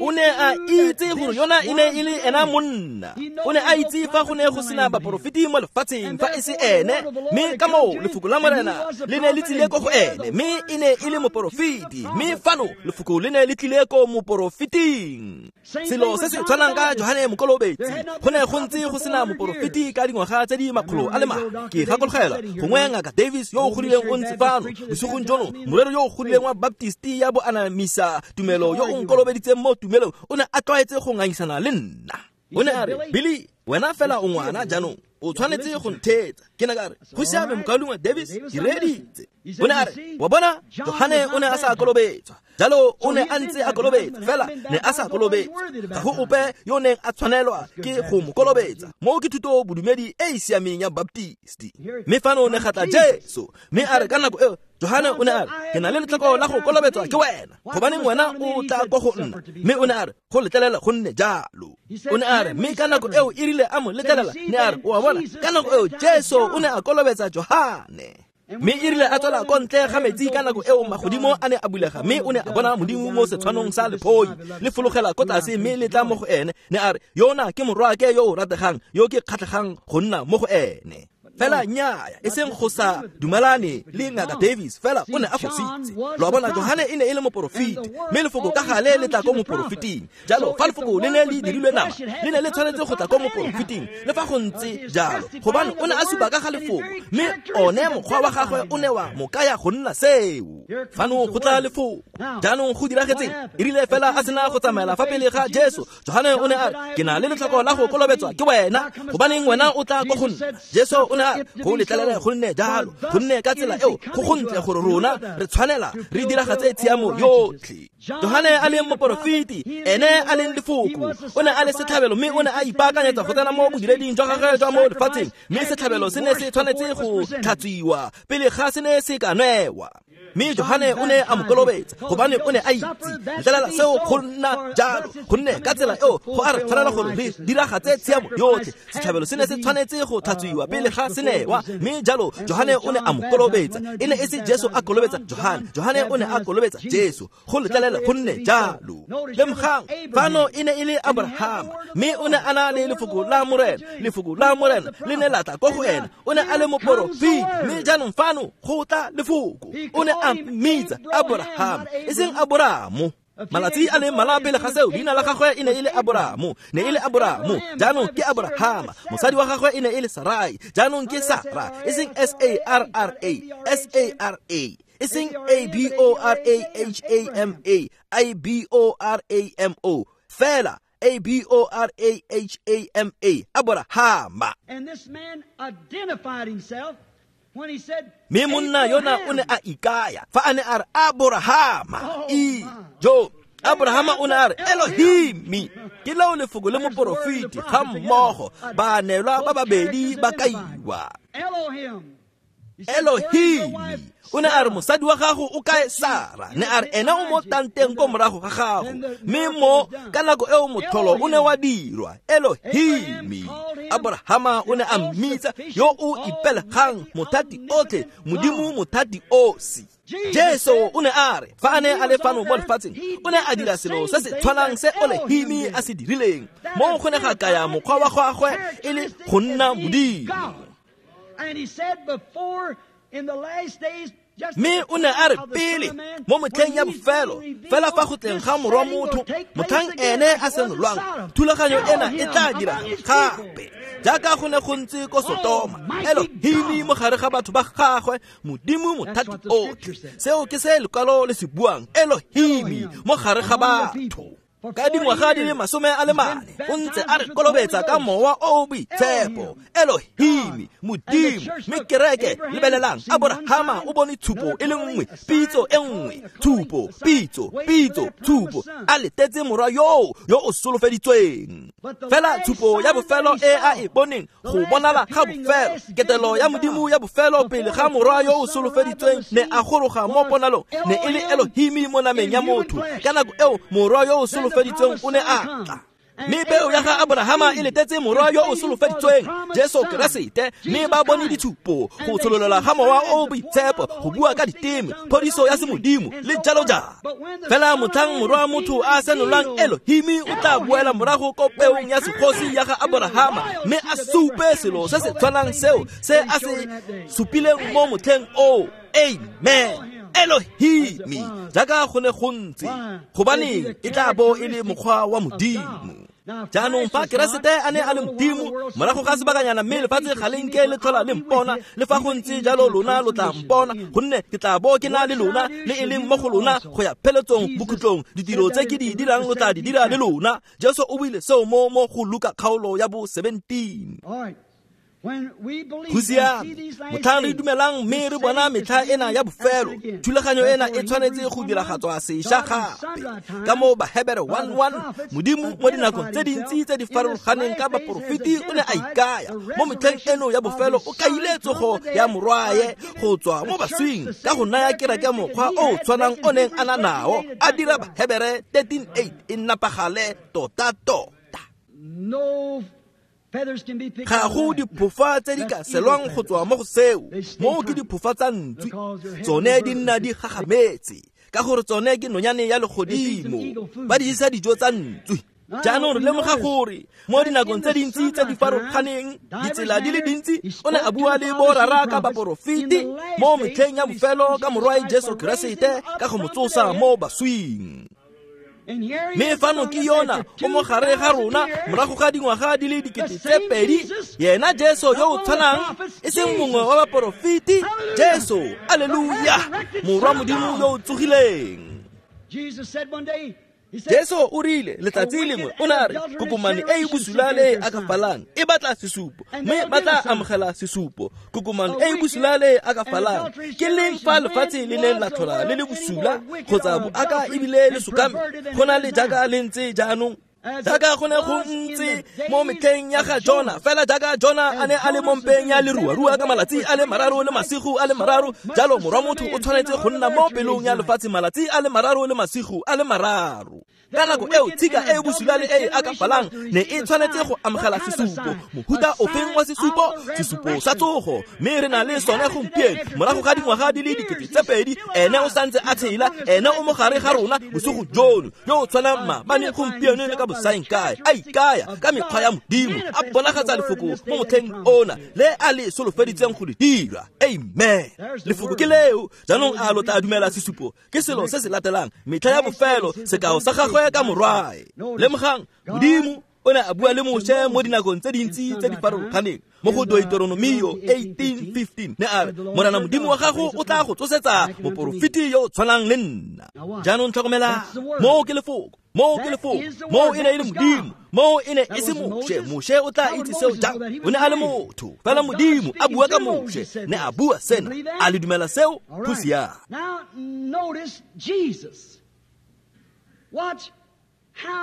O ne a itse gore yona e ne e le ena monna. O ne a itse fa go ne go sena baporofeti mo lefatsheng fa e se ene, mme ka moo lefoko la Morena le ne le tlile ko go ene, mme e ne e le moporofeti, mme fano lefoko le ne le tlile ko moporofeting. Selo se se tshwanang ka Johane Mokolobetsi, go ne go ntse go sena moporofeti ka dingwaga tse di 400. Ke gakologelwa gongwe Ngaka Davis yo o godileng o ntse fano bosigong jono, morero yo o godileng wa Baptisti ya boanamisa tumelo yo o nkolobeditseng mo tumelong, o ne a tlwaetse go ngangisana le nna. O ne a re, Billy, wena fela o ngwana jaanong, o tshwanetse go ntheetsa. Ke ne ka re, go siame mokaulengwe Davis, ke reeditse. O ne a re, wa bona, Johane o ne a sa kolobetswa, jalo o ne a ntse a kolobetsa, fela ne a sa kolobetswa. Ga go ope yo neng a tshwanelwa ke go mo kolobetsa. Mo ke thuto bodumedi e e siameng ya Baptisti. Mme fano ne ga tla Jesu, mme a re ka nako eo Johane o ne a re, ke na le letlhoko la go kolobetswa ke wena, gobaneng wena o tla ko go nna? Mme o ne a re, go letlelela go nne jalo. O ne a re, mme ka nako eo e rile a mo letlelela, ne a re, o a bona, ka nako eo Jesu o ne a kolobetsa Johane. Mme e rile a tswela ko ntle ga metsi ka nako eo magodimo a ne a bulega, mme o ne a bona Modimo mo setshwanong sa lephoi le fologela ko tlase mme le tla mo go ene. Ne a re, yona ke morwaake yo o rategang, yo ke kgatlhegang go nna mo go ene. Fela nnyaya, e seng go sa dumalane le Ngaka Davis, fela o ne a fositse. Lo a bona, Johane e ne e le moporofeti, mme lefoko ka gale le tla ko moporofeting. Jalo fa lefoko le ne le dirilwe nama, le ne le tshwanetse go tla ko moporofeting, le fa go ntse jalo, gobane o ne a supa ka ga lefoko, mme one mokgwa wa gagwe o ne wa mo kaya go nna seo. Fano go tla lefoko. Jaanong go diragetseng? E rile fela a sena go tsamaela fa pele ga Jesu, Johane o ne a re, ke na le letlhoko la go kolobetswa ke wena, gobaneng wena o tla ko go nna? Jesu o ne a Ka go letlelela go nne jalo, gonne ka tsela eo go gontle gore rona re tshwanela re diragatse tshiamo yotlhe. Johane a leng moporofeti, ene a leng lefoko, o ne a le setlhabelo mme o ne a ipaakanyetsa go tsena mo bodireding jwa gagwe jwa mo lefatsheng, mme setlhabelo se ne se tshwanetse go tlhatswiwa pele ga se ne se ka newa. Mme Johane o ne a mo kolobetsa gobane o ne a itse letlelela seo go nna jalo, gonne ka tsela eo go a re tshwanela gore re diragatse tshiamo yotlhe. Setlhabelo se ne se tshwanetse go tlhatswiwa pele ga se newa, mme jalo Johane o ne a mo kolobetsa. E ne e se Jesu a kolobetsa Johane, Johane o ne a kolobetsa Jesu. Go letlelela go nne jalo. Lemogang, fano e ne e le Abrahama, mme o ne a na le lefoko la Morena. Lefoko la Morena le ne la tla ko go ena, o ne a le moporofeti, mme jaanong fano go tla lefoko. O ne a mmitsa Abraham, e seng Aboramo. Malatsi a le mmalwa pele ga seo, leina la gagwe e ne e le Aboramo, ne e le Aboramo, jaanong ke Abrahama. Mosadi wa gagwe e ne e le Sarai, jaanong ke Sara, e seng S A R R A, S A R A, e seng A B O R A H A M A, I B O R A M O, fela A B O R A H A M A, Abrahama. And this man identified himself when he said, Mme monna yona o ne a ikaya fa a ne a re Abrahama. E jo Abrahama o ne a re Elohimi. Ke leo lefoko le moporofeti ga mmogo, baanelwa ba babedi ba kaiwa. Elohim. Elohimi o ne a re mosadi wa gago o kae Sara, ne a re ena o mo tanteng ko morago ga gago, mme mo ka nako eo motlholo o ne wa dirwa. Elohimi. Abrahama o ne a mmitsa yo o ipelegang, mothati otlhe, Modimo mothati osi. Jesu o ne a re fa a ne a le fano mo lefatsheng, o ne a dira selo se se tshwanang se Elohimi a se dirileng, mo go ne ga kaya mokgwa wa gagwe e le go nna Modimo. And he said before in the last days, Mme o ne a re pele mo motlheng ya bofelo, fela fa go tleng ga morwa motho, motlhang ene a senolwang, thulaganyo ena e tla dira gape jaaka go ne go ntse ko Sotoma. Elohimi mo gare ga batho ba gagwe, Modimo mothati otlhe. Seo ke se lekwalo le se buang, Elohimi mo gare ga batho. Ka dingwaga di le 44 o ntse a re kolobetsa ka mowa o o boitshepo. Elohimi, Modimo. Mme kereke, lebelelang, Abrahama o bone tshupo e le nngwe, pitso e nngwe, tshupo, pitso, pitso, tshupo, a letetse morwa yoo yo o solofeditsweng. Fela tshupo ya bofelo e a e boneng, go bonala ga bofelo, ketelo ya Modimo ya bofelo pele ga morwa yo o solofeditsweng ne a goroga mo ponalong, ne e le Elohimi mo nameng ya motho. Ka nako eo morwa yo o solofeditsweng o ne a tla. Mme peo ya ga Abrahama e letetse morwa yo o solofeditsweng, Jesu Keresete, mme ba bone ditshupo, go tshololela ga mowa o boitshepo, go bua ka diteme, phodiso ya semodimo, le jalo jalo. Fela motlhang morwa motho a senolwang, Elohimi o tla boela morago ko peong ya segosi ya ga Abrahama, mme a supe selo se se tshwanang seo se a se supileng mo motlheng oo. Amen. Elohimi, jaaka go ne go ntse, gobaneng e tla bo e le mokgwa wa Modimo. Jaanong fa Keresete a ne a le Modimo, morago ga sebakanyana mme lefatshe ga le nke le tlhola le mpona, le fa go ntse jalo lona lo tla mpona, gonne ke tla bo ke na le lona, le e leng mo go lona go ya pheletsong bokhutlong. Ditiro tse ke di dirang lo tla di dira le lona. Jesu o buile seo mo go Luka kgaolo ya bo 17. Go siame, motlhang re dumelang mme re bona metlha ena ya bofelo, thulaganyo ena e tshwanetse go diragatswa sešwa gape. Ka mo Bahebere 1:1, Modimo mo dinakong tse dintsi tse di farologaneng ka baporofeti o ne a ikaya mo metlheng eno ya bofelo, o kaile tsogo ya morwae go tswa mo baswing ka go naya kereke mokgwa o tshwanang o neng a na nao, a dira Bahebere 13:8 e nnapagale tota-tota. Ga go diphofa tse di ka selwang go tswa mo go seo, mo ke diphofa tsa ntswi, tsone di nna di gagametse, ka gore tsone ke nonyane ya legodimo, ba di jesa dijo tsa ntswi. Jaanong re lemoga gore mo dinakong tse dintsi tse di farologaneng, ditsela di le dintsi, o ne a bua le borara ka baporofeti mo metlheng ya bofelo ka morwae Jesu Keresete ka go mo tsosa mo baswing. Mme fano ke yona o mo gare ga rona morago ga dingwaga di le 2000, yena Jesu yo o tshwanang, e seng mongwe wa baporofeti, Jesu, alleluia, morwa Modimo yo o tsogileng. Jesu o rile letsatsi lengwe o ne a re kokomane e e bosula le e akafalang e batla sesupo, mme ba tla amogela sesupo. Kokomane e e bosula le e akafalang ke leng fa lefatshe le neng la tlhola le le bosula kgotsa boaka ebile le sokame go na le jaaka le ntse jaanong, jaaka go ne go ntse mo metlheng ya ga Jona. Fela jaaka Jona a ne a le mo mpeng ya leruarua ka malatsi a le mararo le masigo a le mararo, jalo morwa motho o tshwanetse go nna mo pelong ya lefatshe malatsi a le mararo le masigo a le mararo. Ka nako eo tshika e e bosula le e e akafalang ne e tshwanetse go amogela sesupo. Mohuta ofeng wa sesupo? Sesupo sa tsogo. Mme re na le sone gompieno morago ga dingwaga di le 2000. Ene o santse a tshela, ene o mogare ga rona bosigo jono, yo o tshwanang maabane, gompieno le ka bosaengkae, a ikaya ka mekgwa ya Modimo, a bonagatsa lefoko mo motlheng ona le a le solofeditseng go le dira. Amen. Lefoko ke leo. Jaanong a lo tla dumela sesupo? Ke selo se se latelang, metlha ya bofelo, sekao sa gagwe ka morwae. Lemogang, Modimo o ne a bua le Moshe mo dinakong tse dintsi tse di farologaneng. Mo go Deuteronomio 18:15 ne a re, Morena Modimo wa gago o tla go tsosetsa moporofeti yo o tshwanang le nna. Jaanong tlhokomela, moo ke lefoko, moo ke lefoko, moo e ne e le Modimo, moo e ne e se Moshe. Moshe o tla itse seo jang? O ne a le motho. Fela Modimo a bua ka Moshe, ne a bua sena. A le dumela seo? Go siame.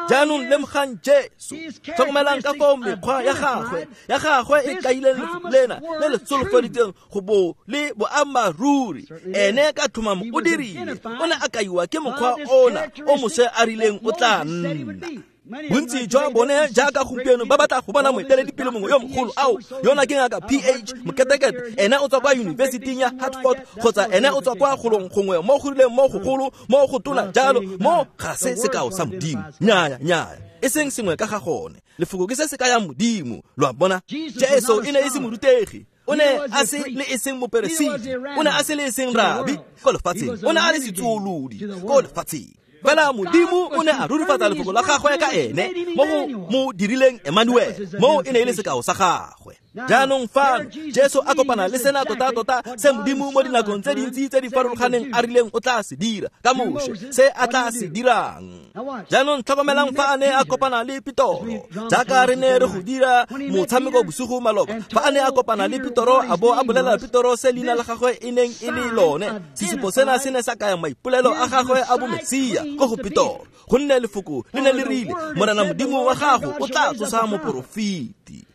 Jaanong lemogang Jesu. Tlhokomelang ka fao mekgwa ya gagwe e kaileng lefoko lena le le solofeditseng go bo le boammaaruri. Ene ka tlhomamo o dirile, o ne a kaiwa ke mokgwa ona o Moshe a rileng o tla nna. Bontsi jwa bone jaaka gompieno ba batla go bona moeteledipele mongwe yo mogolo. Ao, yona ke ngaka PH Moketekete, ene o tswa kwa yunibesiting ya Hartford, kgotsa ene o tswa kwa golong gongwe mo go rileng mo gogolo mo go tona jalo. Mo ga se sekao sa Modimo. Nnyaya, nnyaya, e seng sengwe ka ga gone. Lefoko ke se se kayang Modimo. Lo a bona? Jesu e ne e se morutegi, o ne a se le e seng moperesiti, o ne a se le e seng rabi ko lefatsheng, o ne a le setsuolodi ko lefatsheng. Fela Modimo o ne a rurifatsa lefoko la gagwe ka ene mo go mo dirileng Emmanuel, mo e ne e le sekao sa gagwe. Jaanong fano Jesu a kopana le sena tota-tota se Modimo mo dinakong tse dintsi tse di farologaneng a rileng o tla se dira ka Moshe, se a tla se dirang. Jaanong tlhokomelang fa a ne a kopana le Petoro, jaaka re ne re go dira motshameko bosigo maloba. Fa a ne a kopana le Petoro a bo a bolela Petoro se leina la gagwe e neng e le lone, sesupo sena se ne sa kaya maipolelo a gagwe a bomesia ko go Petoro, gonne lefoko le ne le rile, Morena Modimo wa gago o tla tsosa moporofeti.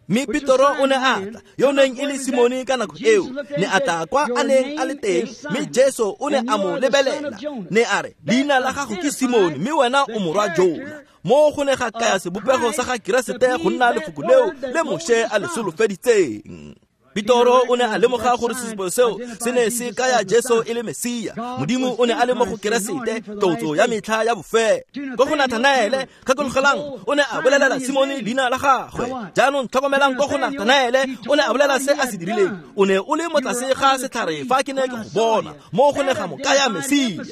Mme Petoro o ne a tla, yo neng e le Simone ka nako eo, ne a tla kwa a neng a le teng, mme Jesu o ne a mo lebelela, ne a re, leina la gago ke Simone, mme wena o morwa Jona. Mo go ne ga kaya sebopego sa ga Keresete go nna lefoko leo le Moshe a le solofeditseng. Petoro o ne a lemoga gore sesupo seo se ne se kaya Jesu e le Mesia. Modimo o ne a le mo go Keresete, tlotso ya metlha ya bofelo. Ko go Nathanaele, gakologelang, o ne a bolelela Simone leina la gagwe. Jaanong tlhokomelang ko go Nathanaele, o ne a bolela se a se dirileng. O ne o le mo tlase ga setlhare fa ke ne ke go bona, mo go ne ga mo kaya Mesia.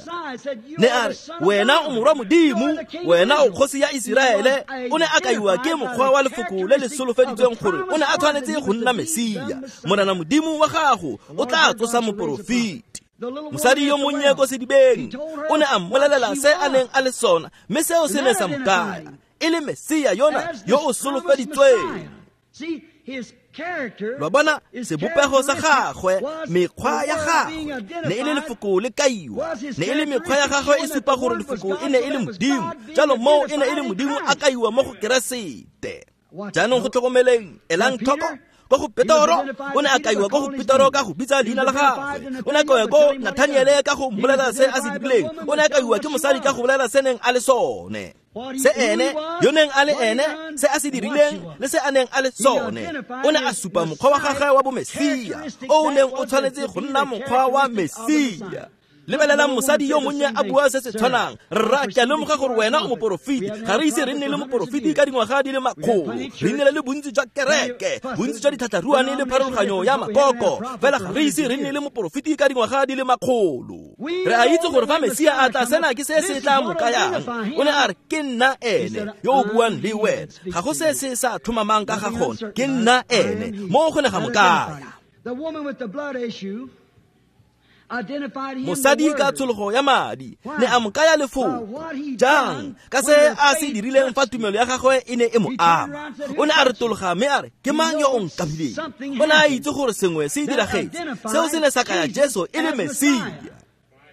Ne a re, wena o morwa Modimo, wena o kgosi ya Iseraele. O ne a kaiwa ke mokgwa wa lefoko le le solofeditsweng gore o ne a tshwanetse go nna Mesia. Morena Modimo wa gago o tla tsosa moporofeti. Mosadi yo monnye ko sedibeng o ne a mmolelela se a neng a le sona, mme seo se ne sa mo kaya e le Mesia yona yo o solofeditsweng. Lo bona sebopego sa gagwe, mekgwa ya gagwe ne e le lefoko le kaiwa, ne e le mekgwa ya gagwe e supa gore lefoko e ne e le Modimo. Jalo moo e ne e le Modimo a kaiwa mo go Keresete. Jaanong go tlhokomeleng, elang tlhoko ko go Petoro, o ne a kaiwa ko go Petoro ka go bitsa leina la gagwe. O ne a kaiwa ko Nathaniele ka go mmolelela se a se dirileng. O ne a kaiwa ke mosadi ka go bolela se neng a le sone, se ene yo neng a le ene, se a se dirileng le se a neng a le sone. O ne a supa mokgwa wa gagwe wa bomesia, o neng o tshwanetse go nna mokgwa wa Mesia. Lebelelang mosadi yo monnye a bua se se tshwanang. Rra, ke a lemoga gore wena o moporofeti. Ga re ise re nne le moporofeti ka dingwaga di le makgolo. Re nnile le bontsi jwa kereke, bontsi jwa ditlhatlharuane le pharologanyo ya makoko, fela ga re ise re nne le moporofeti ka dingwaga di le makgolo. Re a itse gore fa Mesia a tla, sena ke se se tla mo kayang. O ne a re, ke nna ene yo o buang le wena. Ga go se se sa tlhomamang ka ga gone, ke nna ene. Mo go ne ga mo kaya. The woman with the blood issue Mosadi ka tshologo ya madi ne a mo kaya lefoko. Jang? Ka se a se dirileng fa tumelo ya gagwe e ne e mo ama. O ne a retologa mme a re, ke mang yo o nkamileng? O ne a itse gore sengwe se diragetse. Seo se ne sa kaya Jesu e le Mesia.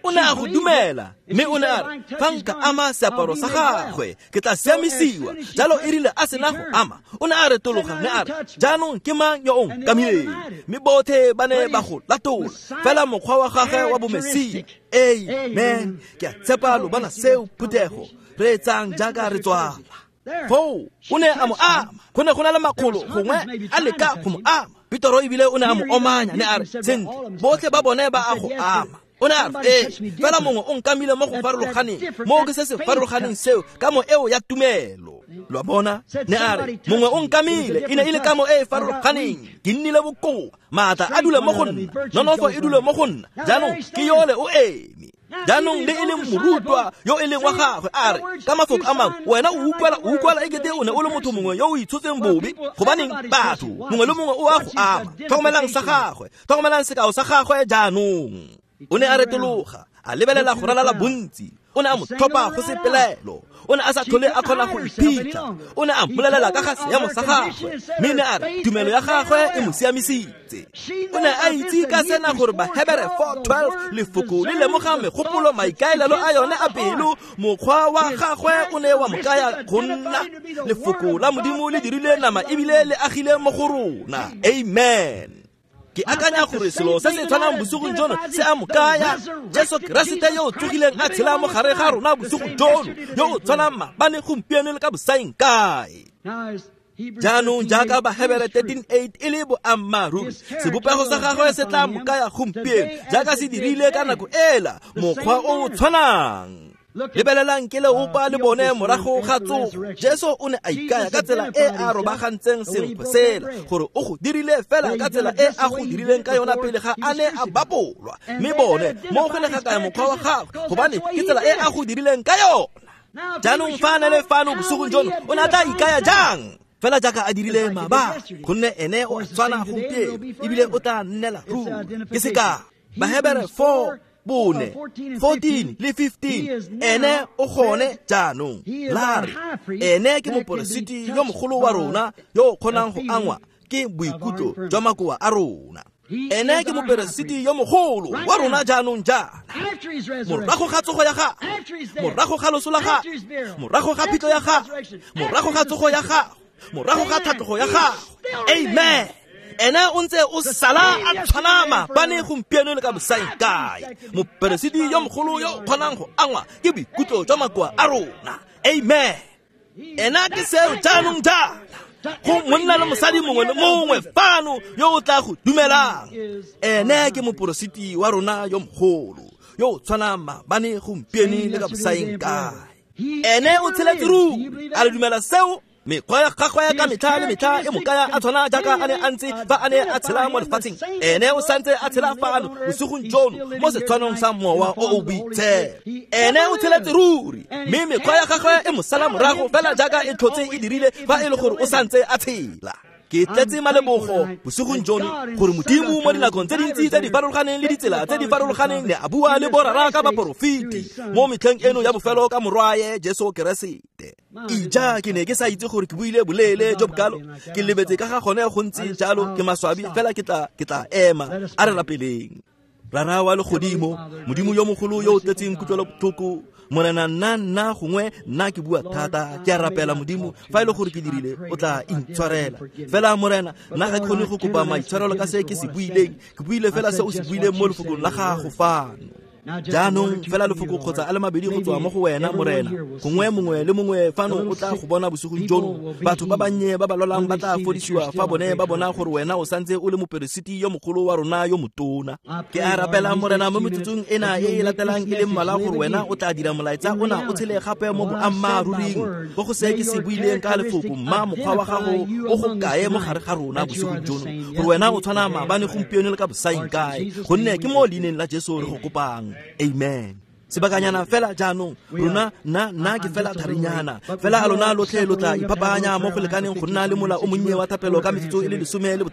O ne a go dumela, mme o ne a re, fa nka ama seaparo sa gagwe, ke tla siamisiwa. Jalo e rile a sena go ama, o ne a retologa mme a re, jaanong ke mang yo o nkamileng? Mme botlhe ba ne ba go latola, fela mokgwa wa gagwe wa bomesia. Amen. Ke a tshepa lo bona seo, phuthego. Reetsang jaaka re tswala. Foo o ne a mo ama. Go ne go na le makgolo gongwe a leka go mo ama. Petoro ebile o ne a mo omanya, ne a re, sentle, botlhe ba bone ba a go ama. O ne a re, ee, fela mongwe o nkamile mo go farologaneng, moo ke se se farologaneng seo, kamo eo ya tumelo. Lo a bona? Ne a re, mongwe o nkamile, e ne e le kamo e e farologaneng. Ke nnile bokoa, maatla a dule mo go nna, nonofo e dule mo go nna. Jaanong ke yole o eme. Jaanong le e leng morutwa yo e leng wa gagwe a re, ka mafoko a mangwe, wena o utlwela ekete o ne o le motho mongwe yo o itshotseng bobe. Gobaneng batho mongwe le mongwe o a go ama. Tlhokomelang sa gagwe, tlhokomelang sekao sa gagwe jaanong. O ne a retologa, a lebelela go ralala bontsi. O ne a mo tlhopha go se pelaelo. O ne a sa tlhole a kgona go iphitlha. O ne a mmolelela ka ga seemo sa gagwe, mme ne a re tumelo ya gagwe e mo siamisitse. O ne a itse ka sena gore Bahebere 4:12 lefoko le lemoga megopolo maikaelelo a yone a pelo. Mokgwa wa gagwe o ne wa mo kaya go nna lefoko la Modimo le dirile nama ebile le agile mo go rona. Amen. Ke akanya gore selo se se tshwanang bosigong jono se a mo kaya. Jesu Keresete yo o tsogileng a tshela mo gare ga rona bosigong jono, yo o tshwanang maabane, gompieno le ka bosaeng kae. Jaanong jaaka Bahebere 13:8 e le boammaaruri, sebopego sa gagwe se tla mo kaya gompieno jaaka se dirile ka nako ela, mokgwa o o tshwanang. Lebelelang ke leopa le bone morago ga tsogo. Jesu o ne a ikaya ka tsela e a robagantseng senkgwe sela, gore o go dirile fela ka tsela e a go dirileng ka yona pele ga a ne a bapolwa. Mme bone mo go ne ga kaya mokgwa wa gagwe, gobane ke tsela e a go dirileng ka yona. Jaanong fa a ne le fano bosigong jono, o ne a tla ikaya jang? Fela jaaka a dirile maabane, gonne ene o a tshwana gompieno ebile o tla nnela ruri. Ke sekao, Bahebere 4 bone, 14 le 15, ene o gone jaanong. La re, ene ke moporesiti yo mogolo wa rona yo o kgonang go angwa ke boikutlo jwa makoa a rona. Ene ke moperesiti yo mogolo wa rona jaanong jaana. Morago ga tsogo ya gagwe, morago ga loso la gagwe, morago ga phitlho ya gagwe, morago ga tsogo ya gagwe, morago ga tlhatlogo ya gagwe. Amen. Ene o ntse o sala a tshwana maabane, gompieno le ka bosaeng kae. Moperesiti yo mogolo yo o kgonang go angwa ke boikutlo jwa makoa a rona. Amen. Ena ke seo jaanong jaana go monna le mosadi mongwe le mongwe fano yo o tla go dumelang. Ene ke moporositi wa rona yo mogolo yo o tshwanang maabane, gompieno le ka bosaeng kae. Ene o tsheletse ruri. A le dumela seo? Mekgwa ya gagwe ka metlha le metlha e mo kaya a tshwana jaaka a ne a ntse fa a ne a tshela mo lefatsheng. Ene o santse a tshela fano bosigong jono mo setshwanong sa Mowa o o Boitshepo. Ene o tsheletse ruri, mme mekgwa ya gagwe e mo sala morago fela jaaka e tlhotse e dirile fa e le gore o santse a tshela. Ke tletse malebogo bosigong jono gore Modimo mo dinakong tse dintsi tse di farologaneng le ditsela tse di farologaneng ne a bua le borara ka baporofeti mo metlheng eno ya bofelo ka morwaye Jesu Keresete. Ija, ke ne ke sa itse gore ke buile boleele jo bokalo. Ke lebetse ka ga gone go ntse jalo, ke maswabi, fela ke tla ema. A re rapeleng. Rara wa legodimo, Modimo yo mogolo yo o tletseng kutlwelobotlhoko, Morena, nna gongwe nna ke bua thata, ke a rapela Modimo, fa e le gore ke dirile, o tla intshwarela. Fela Morena, nna ga ke kgone go kopa maitshwarelo ka se ke se buileng, ke buile fela se o se buileng mo lefokong la gago fano. Jaanong fela lefoko kgotsa a le mabedi go tswa mo go wena, Morena. Gongwe mongwe le mongwe fano o tla go bona bosigong jono. Batho ba bannye ba ba lwalang ba tla fodisiwa fa bone ba bona gore wena o santse o le moperesiti yo mogolo wa rona yo motona. Ke a rapela, Morena, mo metsotsong ena e e latelang e le mmalwa gore wena o tla dira molaetsa ona o tshele gape mo boammaaruring, mo go se ke se buileng ka lefoko, mma mokgwa wa gago o go kae mo gare ga rona bosigong jono, gore wena o tshwana maabane, gompieno le ka bosaeng kae, gonne ke mo leineng la Jesu re go kopang. Amen. Sebakanyana fela jaanong rona nna ke fela tharinyana fela a lona lotlhe lo tla iphapanya mo go lekaneng go nna le mola o monnye wa thapelo ka metsotso e le 15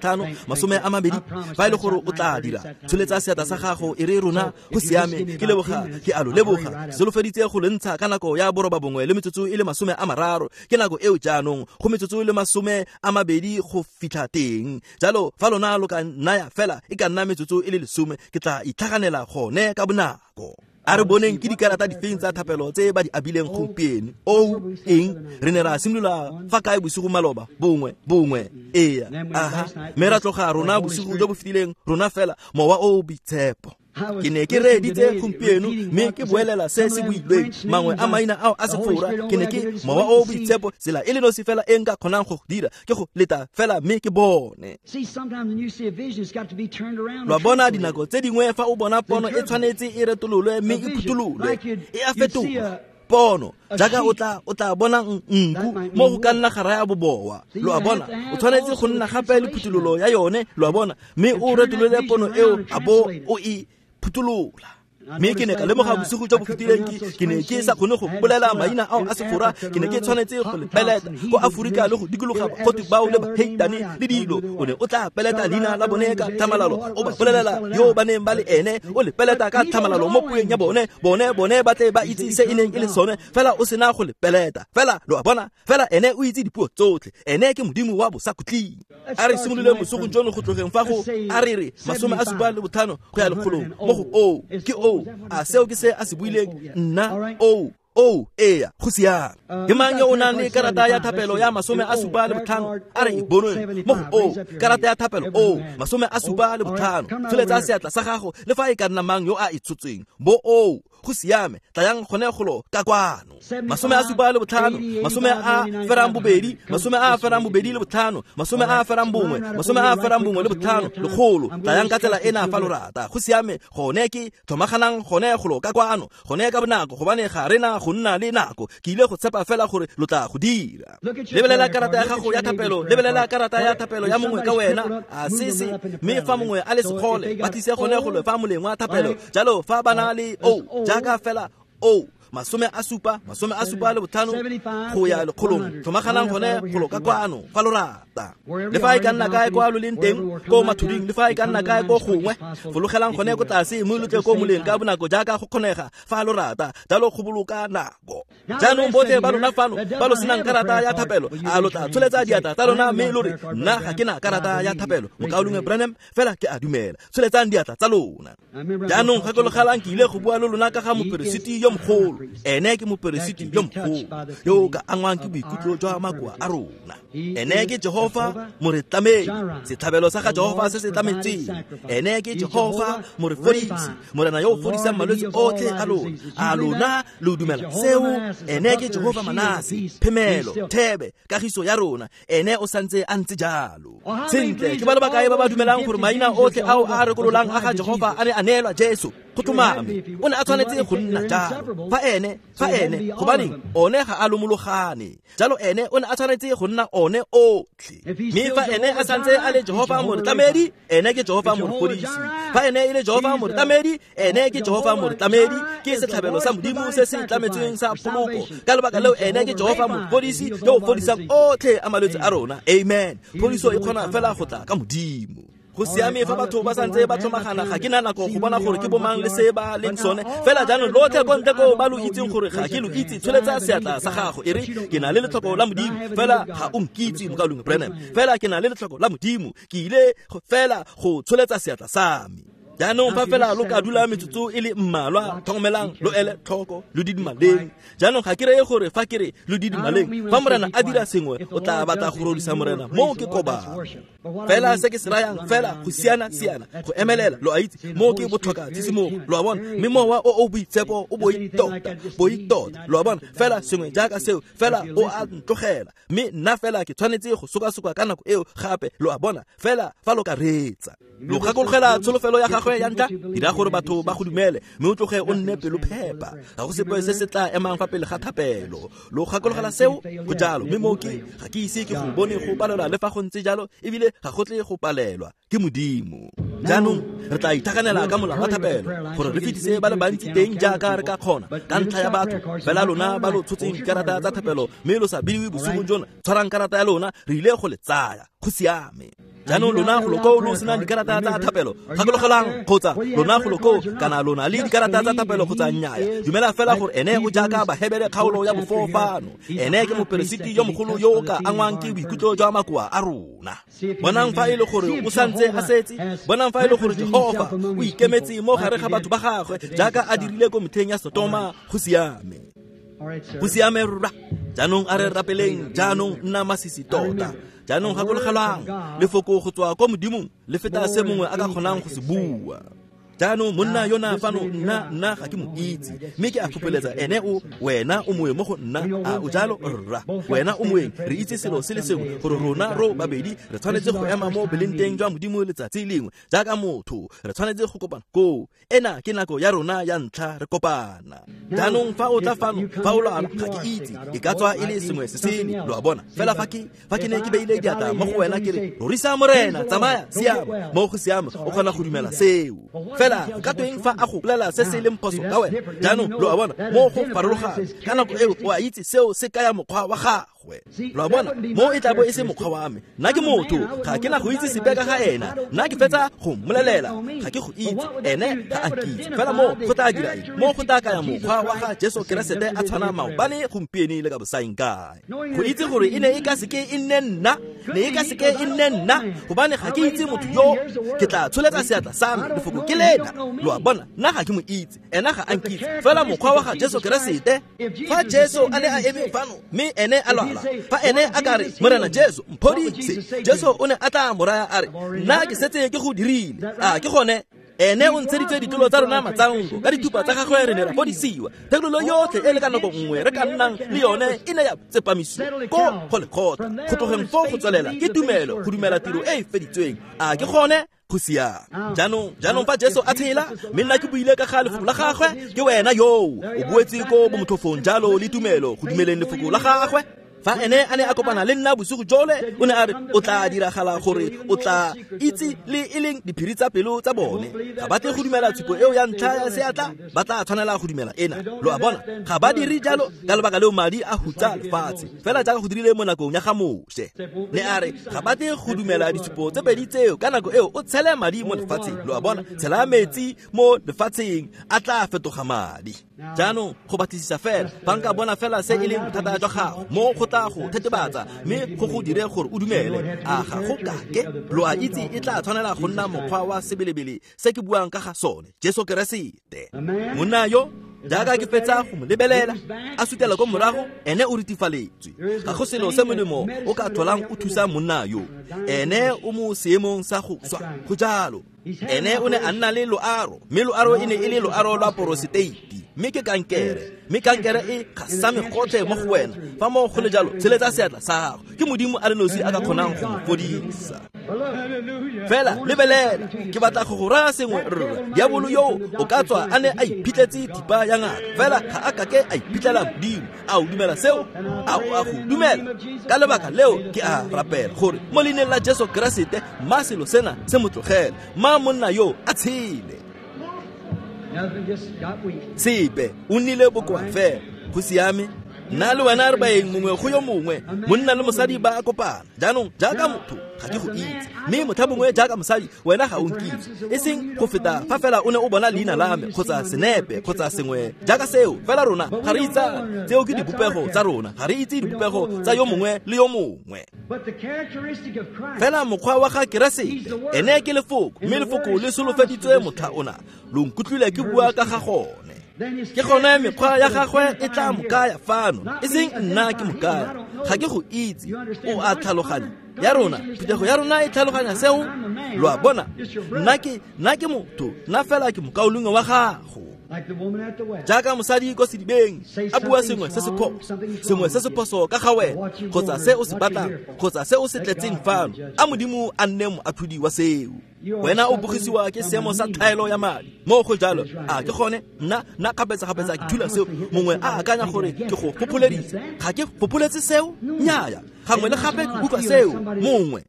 20 fa e le gore o tla dira tsholetsa seatla sa gago e re rona go siame ke leboga ke a lo leboga solofeditse go le ntsha ka nako ya 9 le metsotso e le 30 ke nako eo jaanong go metsotso e le 20 go fitlha teng jalo fa lona lo ka naya fela e ka nna metsotso e le 10 ke tla itlhaganela gone ka bonako. A re boneng ke dikarata difeng tsa thapelo tse ba di abileng gompieno. O eng re ne ra simolola fa kae bosigo maloba bongwe eya aha mme ra tloga rona bosigo jo bo fetileng rona fela mowa o o boitshepo. Ke ne ke reeditse gompieno mme ke boelela se se builweng mangwe a maina ao a Sefora ke ne ke mowa o o boitshepo tsela e le nosi fela e nka kgonang go dira ke go leta fela mme ke bone. Lwa bona dinako tse dingwe fa o bona pono e tshwanetse e retololwe mme e phuthololwe e a fetoga pono jaaka o tla bona nku mo go ka nna gara ya bobowa lo a bona o tshwanetse go nna gape le phuthololo ya yone lo a bona mme o retolole pono eo a bo o e phutolola. Mme ke ne ka lemoga bosigo jo bo fetileng ke ne ke sa kgone go bolela maina ao a Sefora ke ne ke tshwanetse go le peleta ko Aforika le go dikologa bakgotsi bao le baheitane le dilo o ne o tla peleta leina la bone ka tlhamalalo o ba bolelela yo ba neng ba le ene o le peleta ka tlhamalalo mo pueng ya bone bone ba tle ba itse se e neng e le sone fela o sena go le peleta fela lo a bona fela ene o itse dipuo tsotlhe ene ke modimo wa bosakhutleng. A re simolole bosigo jono go tlogeng fa go a re re 75 go ya 100 mo go o ke o a seo ke se a se buileng nna o eya go siame. Ke mang yo o nang le karata ya thapelo ya 75 a re e bonwe mo go o karata ya thapelo o 75 tsholetsa seatla sa gago le fa e ka nna mang yo a e tshotsweng bo o go siame tlayang gone golo ka kwano 75 82 75 51 100 tlayang ka tsela ena fa lo rata go siame gone ke tlhomaganang gone golo ka kwano gone ka bonako gobane ga rena go nna le nako ke ile go tshepa fela gore lo tla go dira. Lebelela karata ya gago ya thapelo lebelela karata ya thapelo ya mongwe ka wena a sese mme fa mongwe a le segole ba tlise gone golo fa moleng wa thapelo jalo fa ba na le o jaaka fela o 75 go ya 100 tlhomaganang gone golo ka kwano fa lo rata le fa e ka nna kae kwa lo leng teng ko mathuding le fa e ka nna kae ko gongwe fologelang gone ko tlase mme lo tle ko moleng ka bonako jaaka go kgonega fa lo rata jalo go boloka nako. Jaanong botlhe ba lona fano ba lo senang karata ya thapelo a lo tla tsholetsa diatla tsa lona mme lo re nna ga ke na karata ya thapelo mokaulengwe Branham fela ke a dumela tsholetsang diatla tsa lona. Jaanong gakologelang ke ile go bua le lona ka ga moperesiti yo mogolo ene ke moperesiti yo mogolo yo o ka angwang ke boikutlo jwa makoa a rona ene ke Jehova moretlamedi setlhabelo sa ga Jehova se se tlametseng ene ke Jehova morefodisi morena yo o fodisang malwetse otlhe a lona a lona lo dumela seo ene ke Jehova Manase phemelo thebe kagiso ya rona ene o santse a ntse jalo. Sentle ke ba le bakae ba ba dumelang gore maina otlhe ao a rekololang a ga Jehova a ne a neelwa Jesu go tlhomame o ne a tshwanetse go nna jalo fa ene gobaneng one ga a lomologane jalo ene o ne a tshwanetse go nna one otlhe mme fa ene a santse a le Jehova moretlamedi ene ke Jehova morefodisi fa ene e le Jehova moretlamedi ene ke Jehova moretlamedi ke setlhabelo sa modimo se se tlametsweng sa poloko ka lebaka leo ene ke Jehova morefodisi yo o fodisang otlhe a malwetse a rona. Amen. Phodiso e kgona fela go tla ka modimo. Go siame fa batho ba santse ba tlhomagana ga ke na nako go bona gore ke bomang le se ba leng sone fela jaanong lotlhe ko ntle ko ba lo itseng gore ga ke lo itse tsholetsa seatla sa gago e re ke na le letlhoko la modimo fela ga o nkitse mokaulengwe Branham fela ke na le letlhoko la modimo ke ile fela go tsholetsa seatla sa me. Jaanong fa fela lo ka dula metsotso e le mmalwa tlhokomelang lo ele tlhoko lo didimaleng. Jaanong ga ke reye gore fa ke re lo didimaleng fa morena a dira sengwe o tla batla go rodisa morena moo ke kobang fela se ke se rayang fela go siana-siana go emelela lo a itse moo ke botlhoka tshisimogo lo a bona mme mowa o o boitshepo o boitota lo a bona fela sengwe jaaka seo fela o a ntlogela mme nna fela ke tshwanetse go sokasoka ka nako eo gape lo a bona fela fa lo ka reetsa. Lo gakologela tsholofelo ya gagwe ya ntlha dira gore batho ba go dumele mme o tloge o nne pelo phepa ga go sepe se se tla emang fa pele ga thapelo. Lo gakologela seo go jalo mme moo ke ga ke ise ke go bone go palelwa le fa go ntse jalo ebile ga go tle go palelwa ke modimo. Jaanong re tla ithakanela ka mola wa thapelo gore re fetise ba le bantsi teng jaaka re ka kgona ka ntlha ya batho. Fela lona ba lo tshotseng dikarata tsa thapelo mme lo sa bidiwe bosigong jona, tshwarang karata ya lona, re ile go le tsaya. Go siame. Jaanong lona go lo koo lo senang dikarata tsa thapelo, gakologelang kgotsa lona go lo koo kana lona le dikarata tsa thapelo kgotsa nnyaya, dumela fela gore ene o jaaka Bahebere kgaolo ya bofofano. Ene ke moperesiti yo mogolo yo o ka angwang ke boikutlo jwa makoa a rona. Bonang fa e le gore o santse a setse, bonang fa e le gore Jehofa o ikemetse mo gare ga batho ba gagwe jaaka a dirile ko metlheng ya Sotoma. Go siame. Go siame rra. Jaanong a re rapeleng. Jaanong nna masisi tota. Jaanong gakologelwang, lefoko go tswa kwa Modimong le feta se mongwe a ka kgonang go se bua. Jaanong monna yona fano, nna ga ke mo itse, mme ke a fopholetsa ene o, wena o moeng mo go nna. A o jalo rra? Wena o moeng. Re itse selo se le sengwe, gore rona ro babedi re tshwanetse go ema mo belenteng jwa Modimo letsatsi lengwe jaaka motho. Re tshwanetse go kopana koo. Ena ke nako ya rona ya ntlha re kopana. Jaanong fa o tla fano, fa o lwala, ga ke itse, e ka tswa e le sengwe se sele, lo a bona. Fela fa ke ne ke beile diatla mo go wena ke re, rorisa Morena, tsamaya, siama, mo go siame, o kgona go dumela seo. Fela ka tweng fa a go bolela se se leng phoso ka wena? Jaanong lo a bona, mo go farologana. Ka nako eo o a itse seo se kaya mokgwa wa gagwe. Lo a bona, mo e tla bo e se mokgwa wa me. Nna ke motho, ga ke na go itse sepe ka ga ena. Nna ke fetsa go mmolelela, ga ke go itse, ene ga a nkitse. Fela mo go tla dira eng? Mo go tla kaya mokgwa wa ga Jesu Keresete a tshwana maobane, gompieno le ka bosaeng kae. Go itse gore e ne e ka seke e nne nna, ne e ka seke e nne nna, gobane ga ke itse motho yo. Ke tla tsholetsa seatla sa me, lefoko ke lena. Lo a bona, nna ga ke mo itse, ena ga a nkitse. Fela mokgwa wa ga Jesu Keresete, fa Jesu a ne a eme fano mme ene a lwala, fa ene a ka re, Morena Jesu, mphodise, Jesu o ne a tla mo raya a re, nna ke setse ke go dirile. A ke gone? Ene o ntsheditse ditulo tsa rona matsanko, ka dithupa tsa gagwe re ne ra fodisiwa. Thekololo yotlhe e le ka nako nngwe re ka nnang le yone e ne ya tsepamisiwa ko go lekgotla. Go tlogeng foo go tswelela ke tumelo, go dumela tiro e e feditsweng. A ke gone? Go siame. Jaanong fa Jesu a tshela, mme nna ke buile ka ga lefoko la gagwe, ke wena yoo o boetse ko bomotlhofong jalo le tumelo go dumeleng lefoko la gagwe. Fa ene a ne a kopana le nna bosigo jole, o ne a re o tla diragala gore o tla itse le e leng diphiri tsa pelo tsa bone. Ga ba tle go dumela tshupo eo ya ntlha ya seatla, ba tla tshwanela go dumela ena. Lo a bona, ga ba dire jalo ka lebaka leo madi a hutsa lefatshe, fela jaaka go dirile mo nakong ya ga Moshe. Ne a re ga ba tle go dumela ditshupo tse pedi tseo, ka nako eo o tshele madi mo lefatsheng. Lo a bona, tshela metsi mo lefatsheng, a tla fetoga madi. Jaanong go batlisisa fela, fa nka bona fela se e leng bothata jwa gago, mo go tla go thetebatsa mme go go dire gore o dumele. A ga go kake? Lo a itse e tla tshwanela go nna mokgwa wa sebelebele se ke buang ka ga sone, Jesu Keresete. Monna yo, jaaka ke fetsa go mo lebelela a sutela ko morago, ene o ritifaletswe. Ga go selo se molemo o ka tlholang o thusa monna yo. Ene o mo seemong sa go swa. Go jalo. Ene o ne a nna le loaro, mme loaro e ne e le loaro lwa poroseteiti, mme ke kankere, mme kankere e gasame gotlhe mo go wena. Fa mo go le jalo, tsheletsa seatla sa gago. Ke Modimo a le nosi a ka kgonang go mo fodisa. Fela lebelela, ke batla go go raya sengwe rra. Diabolo yo o ka tswa a ne a iphitletse thipa ya ngaka, fela ga a kake a iphitlhela Modimo. A o dumela seo? A o a go dumela? Ka lebaka leo ke a rapela gore mo leineng la Jesu Keresete, ma selo sena se mo tlogele, ma monna yo a tshele. Sepe, o nnile bokoa fela. Go siame. Nna le wena re baeng mongwe go yo mongwe, monna le mosadi ba a kopana. Jaanong jaaka motho ga ke go itse, mme motlha mongwe jaaka mosadi wena ga o nkitse, e seng go feta fa fela o ne o bona leina la me kgotsa senepe kgotsa sengwe jaaka seo. Fela rona ga re itsane, tseo ke dipopego tsa rona, ga re itse dipopego tsa yo mongwe le yo mongwe. Fela mokgwa wa ga Keresete, ene ke lefoko, mme lefoko le solofeditswe motlha ona. Lo nkutlwile ke bua ka ga gone. Ke gone mekgwa ya gagwe e tla mo kaya fano, e seng nna ke mo kaya. Ga ke go itse, o a tlhaloganya. Ya rona, phuthego ya rona e tlhaloganya seo. Lo a bona, nna ke motho, nna fela ke mokaulengwe wa gago. Jaaka mosadi ko sedibeng a bua sengwe se se phoso, sengwe se se phoso ka ga wena, kgotsa se o se batlang, kgotsa se o se tletseng fano, a Modimo a nne moatlhodi wa seo. Wena o bogisiwa ke seemo sa tlhaelo ya madi. Mo go jalo, a ke gone nna kgapetsa ke thula seo. Mongwe a akanya gore ke go fopholeditse. Ga ke fopholetse seo? Nnyaya. Gangwe le gape ke utlwa seo. Mongwe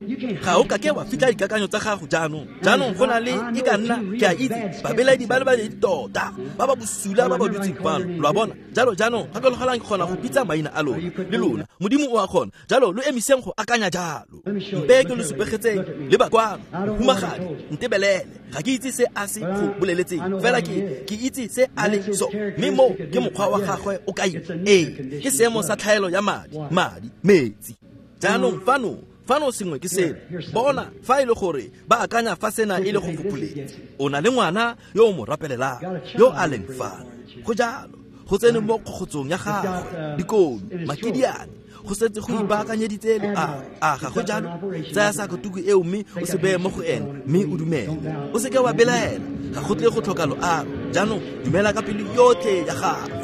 ga o kake wa fitlha dikakanyo tsa gago jaanong. Jaanong go na le e ka nna ke a itse babelaedi ba le babedi tota ba ba bosula ba ba dutseng fano, lo a bona. Jalo jaanong gakologelang ke kgona go bitsa maina a lona le lona. Modimo o a kgona. Jalo lo emiseng go akanya jalo. Mpe ke lo supegetseng le ba kwano. Mohumagadi, ntebelele. Ga ke itse se a se go boleletseng, fela ke itse se a le so. Mme mo ke mokgwa wa gagwe o kaile. Ee, ke seemo sa tlhaelo ya madi, metsi. Jaanong fano sengwe ke seno. Bona fa e le gore ba akanya fa sena e le go fopholetsa. O na le ngwana yo o mo rapelelang, yo a leng fano. Go jalo, go tsene mo kgogotsong ya gagwe, dikodu, makidiane, go setse go ipaakanyeditse loago. A ga go jalo? Tsaya sakotuku eo mme o se beye mo go ene, mme o dumele. O seke wa belaela, ga go tle go tlhoka loago. Jaanong dumela ka pelo yotlhe ya gago.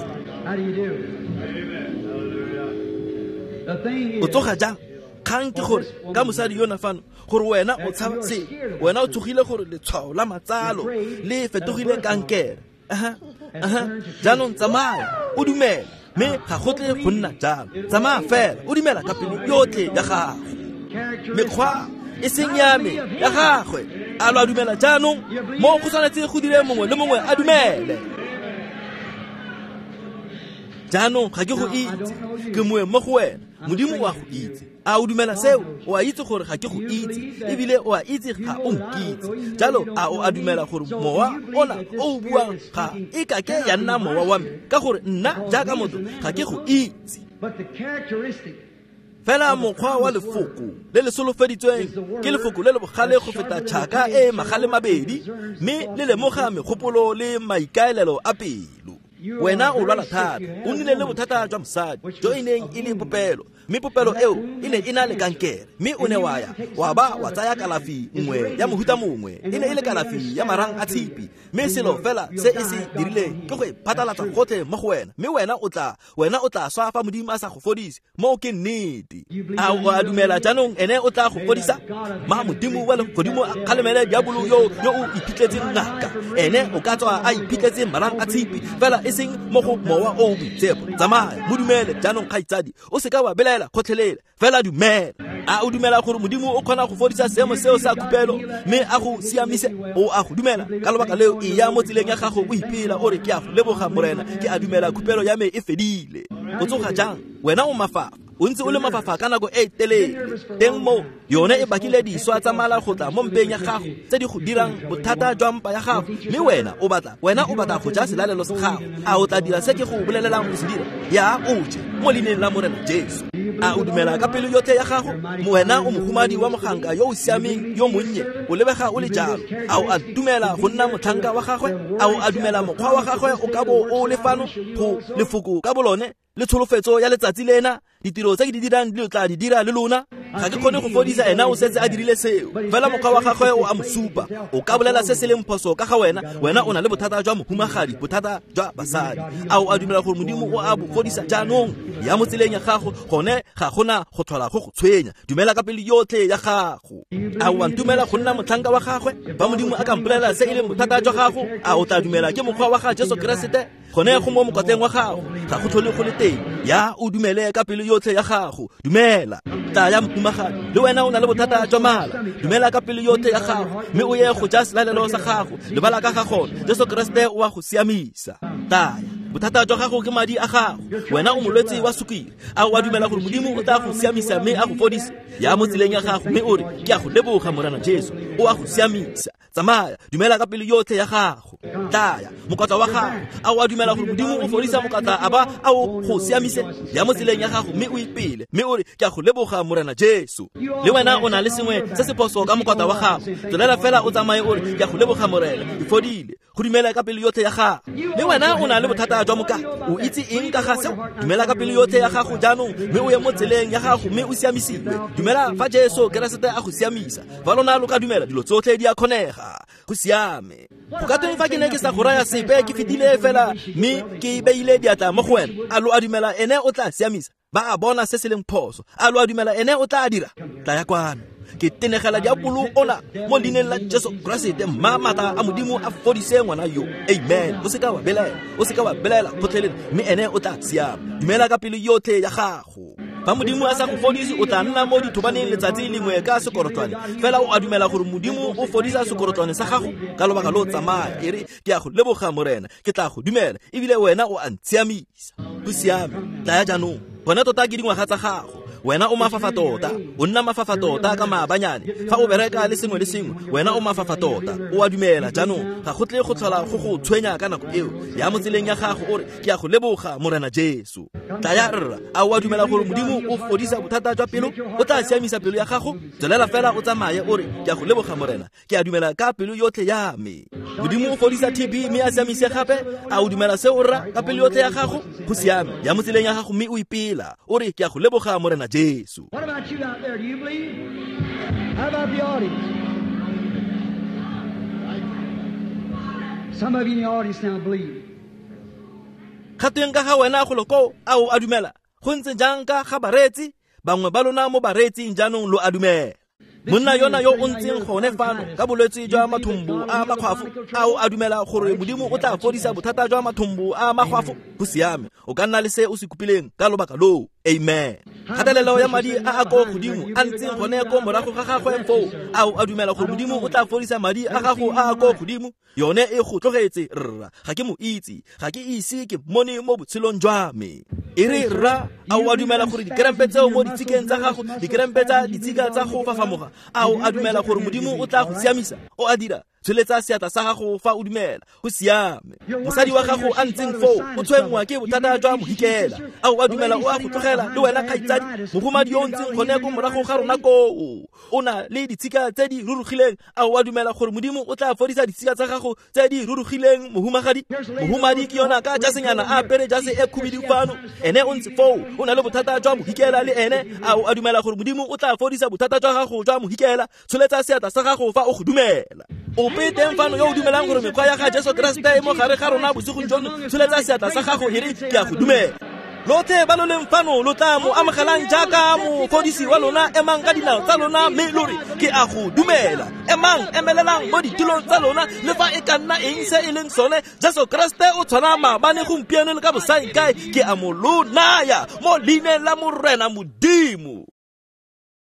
O tsoga jang? Kgang ke gore ka mosadi yona fano, gore wena o tshaba se, wena o tsogile gore letshwao la matsalo le fetogile kankere. Jaanong tsamaya o dumele, mme ga go tle go nna jalo. Tsamaya fela o dumela ka pelo yotlhe ya gago. Mekgwa e seng ya me, ya gagwe. A lo a dumela jaanong? Mo go tshwanetse go dire mongwe le mongwe a dumele. Jaanong ga ke go itse, ke moeng mo go wena. Modimo o a go itse. A o dumela seo? O a itse gore ga ke go itse, ebile o a itse ga o nkitse. Jalo a o a dumela gore mowa ona o o buang ga e kake ya nna mowa wa me, ka gore nna jaaka motho ga ke go itse. Fela mokgwa wa lefoko le le solofeditsweng ke lefoko le le bogale go feta tšhaka e magale mabedi, mme le lemoga megopolo le maikaelelo a pelo. Wena o lwala thata, o nnile le bothata jwa mosadi jo e neng e le popelo, mme popelo eo e ne e na le kankere, mme o ne wa ya wa ba wa tsaya kalafi nngwe ya mohuta mongwe, e ne e le kalafi ya marang a tshipi, mme selo fela se e se dirileng ke go e phatlalatsa gotlhe mo go wena, mme wena o tla swa fa Modimo a sa go fodise. Mo ke nnete. A o a dumela jaanong ene o tla go fodisa? Ma Modimo wa legodimo a kgalemele diabolo yo o iphitletseng ngaka. Ene o ka tswa a iphitletse marang a tshipi, fela e seng mo go mowa o o boitshepo. Tsamaya mo dumele jaanong kgaitsadi, o seka wa belaela gotlhelele, fela dumela. A o dumela gore Modimo o kgona go fodisa seemo seo sa khupelo mme a go siamise? O a go dumela? Ka lobaka leo e ya mo tseleng ya gago o ipela o re, ke a go leboga Morena, ke a dumela khupelo ya me e fedile. O tsoga jang? Wena o mafafa, o ntse o le mafafa ka nako e telele. Teng mo yone e bakile diswa tsa mala go tla mo mpeng ya gago tse di go dirang bothata jwa mpa ya gago, mme wena o batla go ja selalelo sa gago. A o tla dira se ke go bolelelang go se dira? Ya o je mo leineng la Morena Jesu. A o dumela ka pelo yotlhe ya gago? Wena o mohumadi wa moganka yo o siameng yo monnye, o lebega o le jalo. A o a dumela go nna motlhanka wa gagwe? A o a dumela mokgwa wa gagwe o ka bo o le fano go lefoko ka bolone le tsholofetso ya letsatsi lena? Ditiro tse ke di dirang di tla di dira le lona. Ga ke kgone go fodisa ena, o setse a dirile seo. Fela mokgwa wa gagwe o a mo supa. O ka bolela se se leng phoso ka ga wena. Wena o na le bothata jwa mohumagadi, bothata jwa basadi. A o a dumela gore Modimo o a bo fodisa jaanong? Ya mo tseleng ya gago, gone ga gona go tlhola go go tshwenya. Dumela ka pelo yotlhe ya gago. A o a ntumela go nna motlhanka wa gagwe? Fa Modimo a ka mpolelela se e leng bothata jwa gago, a o tla dumela ke mokgwa wa ga Jesu Keresete? Gone go mo mokotleng wa gago, ga go tlhole go le teng. Ya o dumele ka pelo yotlhe ya gago. Dumela. Tlaya mohumagadi, le wena o na le bothata jwa mala. Dumela ka pelo yotlhe ya gago, mme o ye go ja selalelo sa gago. Lebala ka ga gone, Jesu Keresete o a go siamisa. Tlaya. Bothata jwa gago ke madi a gago. Wena o molwetse wa sukiri. A o a dumela gore Modimo o tla go siamisa mme a go fodise? Ya mo tseleng ya gago mme o re, ke a go leboga Morena Jesu, o a go siamisa. Tsamaya, dumela ka pelo yotlhe ya gago. Tlaya, mokotla wa gago. A o a dumela gore Modimo o fodisa mokotla a ba a o go siamise? Ya mo tseleng ya gago mme o ipele, mme o re, ke a go leboga Morena Jesu. Le wena o na le sengwe se se phoso ka mokotla wa gago. Tswelela fela o tsamaye o re, ke a go leboga Morena, ke fodile. Go dumela ka pelo yotlhe ya gago. Le wena o na le bothata jwa moka. O itse eng ka ga seo? Dumela ka pelo yotlhe ya gago jaanong, mme o ye mo tseleng ya gago mme o siamisiwe. Dumela fa Jesu Keresete a go siamisa. Fa lona lo ka dumela, dilo tsotlhe di a kgonega. Go siame. Go ka tweng fa ke ne ke sa go raya sepe, ke fetile fela mme ke beile diatla mo go wena? A lo a dumela ene o tla siamisa? Ba a bona se se leng phoso. A lo a dumela ene o tla dira? Tlaya kwano. Ke tenegela diabolo ona mo leineng la Jesu Keresete, mma maatla a Modimo a fodise ngwana yo. Amen. O seka wa belaela, o seka wa belaela gotlhelele, mme ene o tla siama. Dumela ka pelo yotlhe ya gago. Fa Modimo a sa go fodise, o tla nna mo dithobaneng letsatsi lengwe ka sekorotlwane. Fela o a dumela gore Modimo o fodisa sekorotlwane sa gago ka lobaka lo tsamaya. E re, ke a go leboga Morena, ke tla go dumela, ebile wena o a ntshiamisa. Go siame, tlaya jaanong. Gone tota ke dingwaga tsa gago. Wena o mafafa tota, o nna mafafa tota ka maabanyane. Fa o bereka le sengwe le sengwe, wena o mafafa tota. O a dumela jaanong, ga go tle go tlhola go go tshwenya ka nako eo. Ya mo tseleng ya gago o re, ke a go leboga Morena Jesu. Tlaya rra, a o a dumela gore Modimo o fodisa bothata jwa pelo? O tla siamisa pelo ya gago? Tswelela fela o tsamaye o re, ke a go leboga Morena, ke a dumela ka pelo yotlhe ya me. Modimo o fodisa TB mme a siamise gape. A o dumela seo rra ka pelo yotlhe ya gago? Go siame, ya mo tseleng ya gago mme o ipela. O re, ke a go leboga Morena Jesu. What about you out there? Do you believe? How about the audience? Some of you in the audience now believe. Ga tweng ka ga wena golo koo, a o a dumela? Go ntse jang ka ga bareetsi? Bangwe ba lona mo bareetsing jaanong lo a dumela. Monna yona yo o ntseng gone fano ka bolwetse jwa mathombo a makgwafo, a o a dumela gore Modimo o tla fodisa bothata jwa mathombo a makgwafo? Go siame, o ka nna le se o se kopileng ka lobaka loo. Amen. Kgatelelo ya madi a a ko godimo a ntseng gone ko morago ga gagwe foo, a o a dumela gore Modimo o tla fodisa madi a gago a a ko godimo? Yone e go tlogetse rra, ga ke mo itse, ga ke ise ke mmone mo botshelong jwa me. E re rra, a o a dumela gore dikerempe tseo mo ditshikeng tsa gago, dikerempe tsa ditshika tsa go fafamoga, a o a dumela gore Modimo o tla go siamisa? O a dira? Tsholetsa seatla sa gago fa o dumela. Go siame. Mosadi wa gago a ntseng foo o tshwenngwa ke bothata jwa mohikela. A o a dumela o a go tlogela le wena kgaitsadi? Mohumadi yo o ntseng gone ko morago ga rona koo o na le ditshika tse di rurugileng. A o a dumela gore Modimo o tla fodisa ditshika tsa gago tse di rurugileng, mohumagadi? Mohumadi ke yona ka jasenyana a apere jase e khubidu fano, ene o ntse foo o na le bothata jwa mohikela le ene. A o a dumela gore Modimo o tla fodisa bothata jwa gago jwa mohikela? Tsholetsa seatla sa gago fa o go dumela. Ope teng fano yo o dumelang gore mekgwa ya ga Jesu Keresete e mo gare ga rona bosigong jono, tsholetsa seatla sa gago e re, ke a go dumela. Lotlhe ba lo leng fano lo tla mo amogelang jaaka mofodisi wa lona, emang ka dinao tsa lona mme lo re, ke a go dumela. Emang, emelelang mo ditulong tsa lona, le fa e ka nna eng se e leng sone, Jesu Keresete o tshwana maabane, gompieno le ka bosaengkae. Ke a mo lo naya mo leineng la Morena Modimo.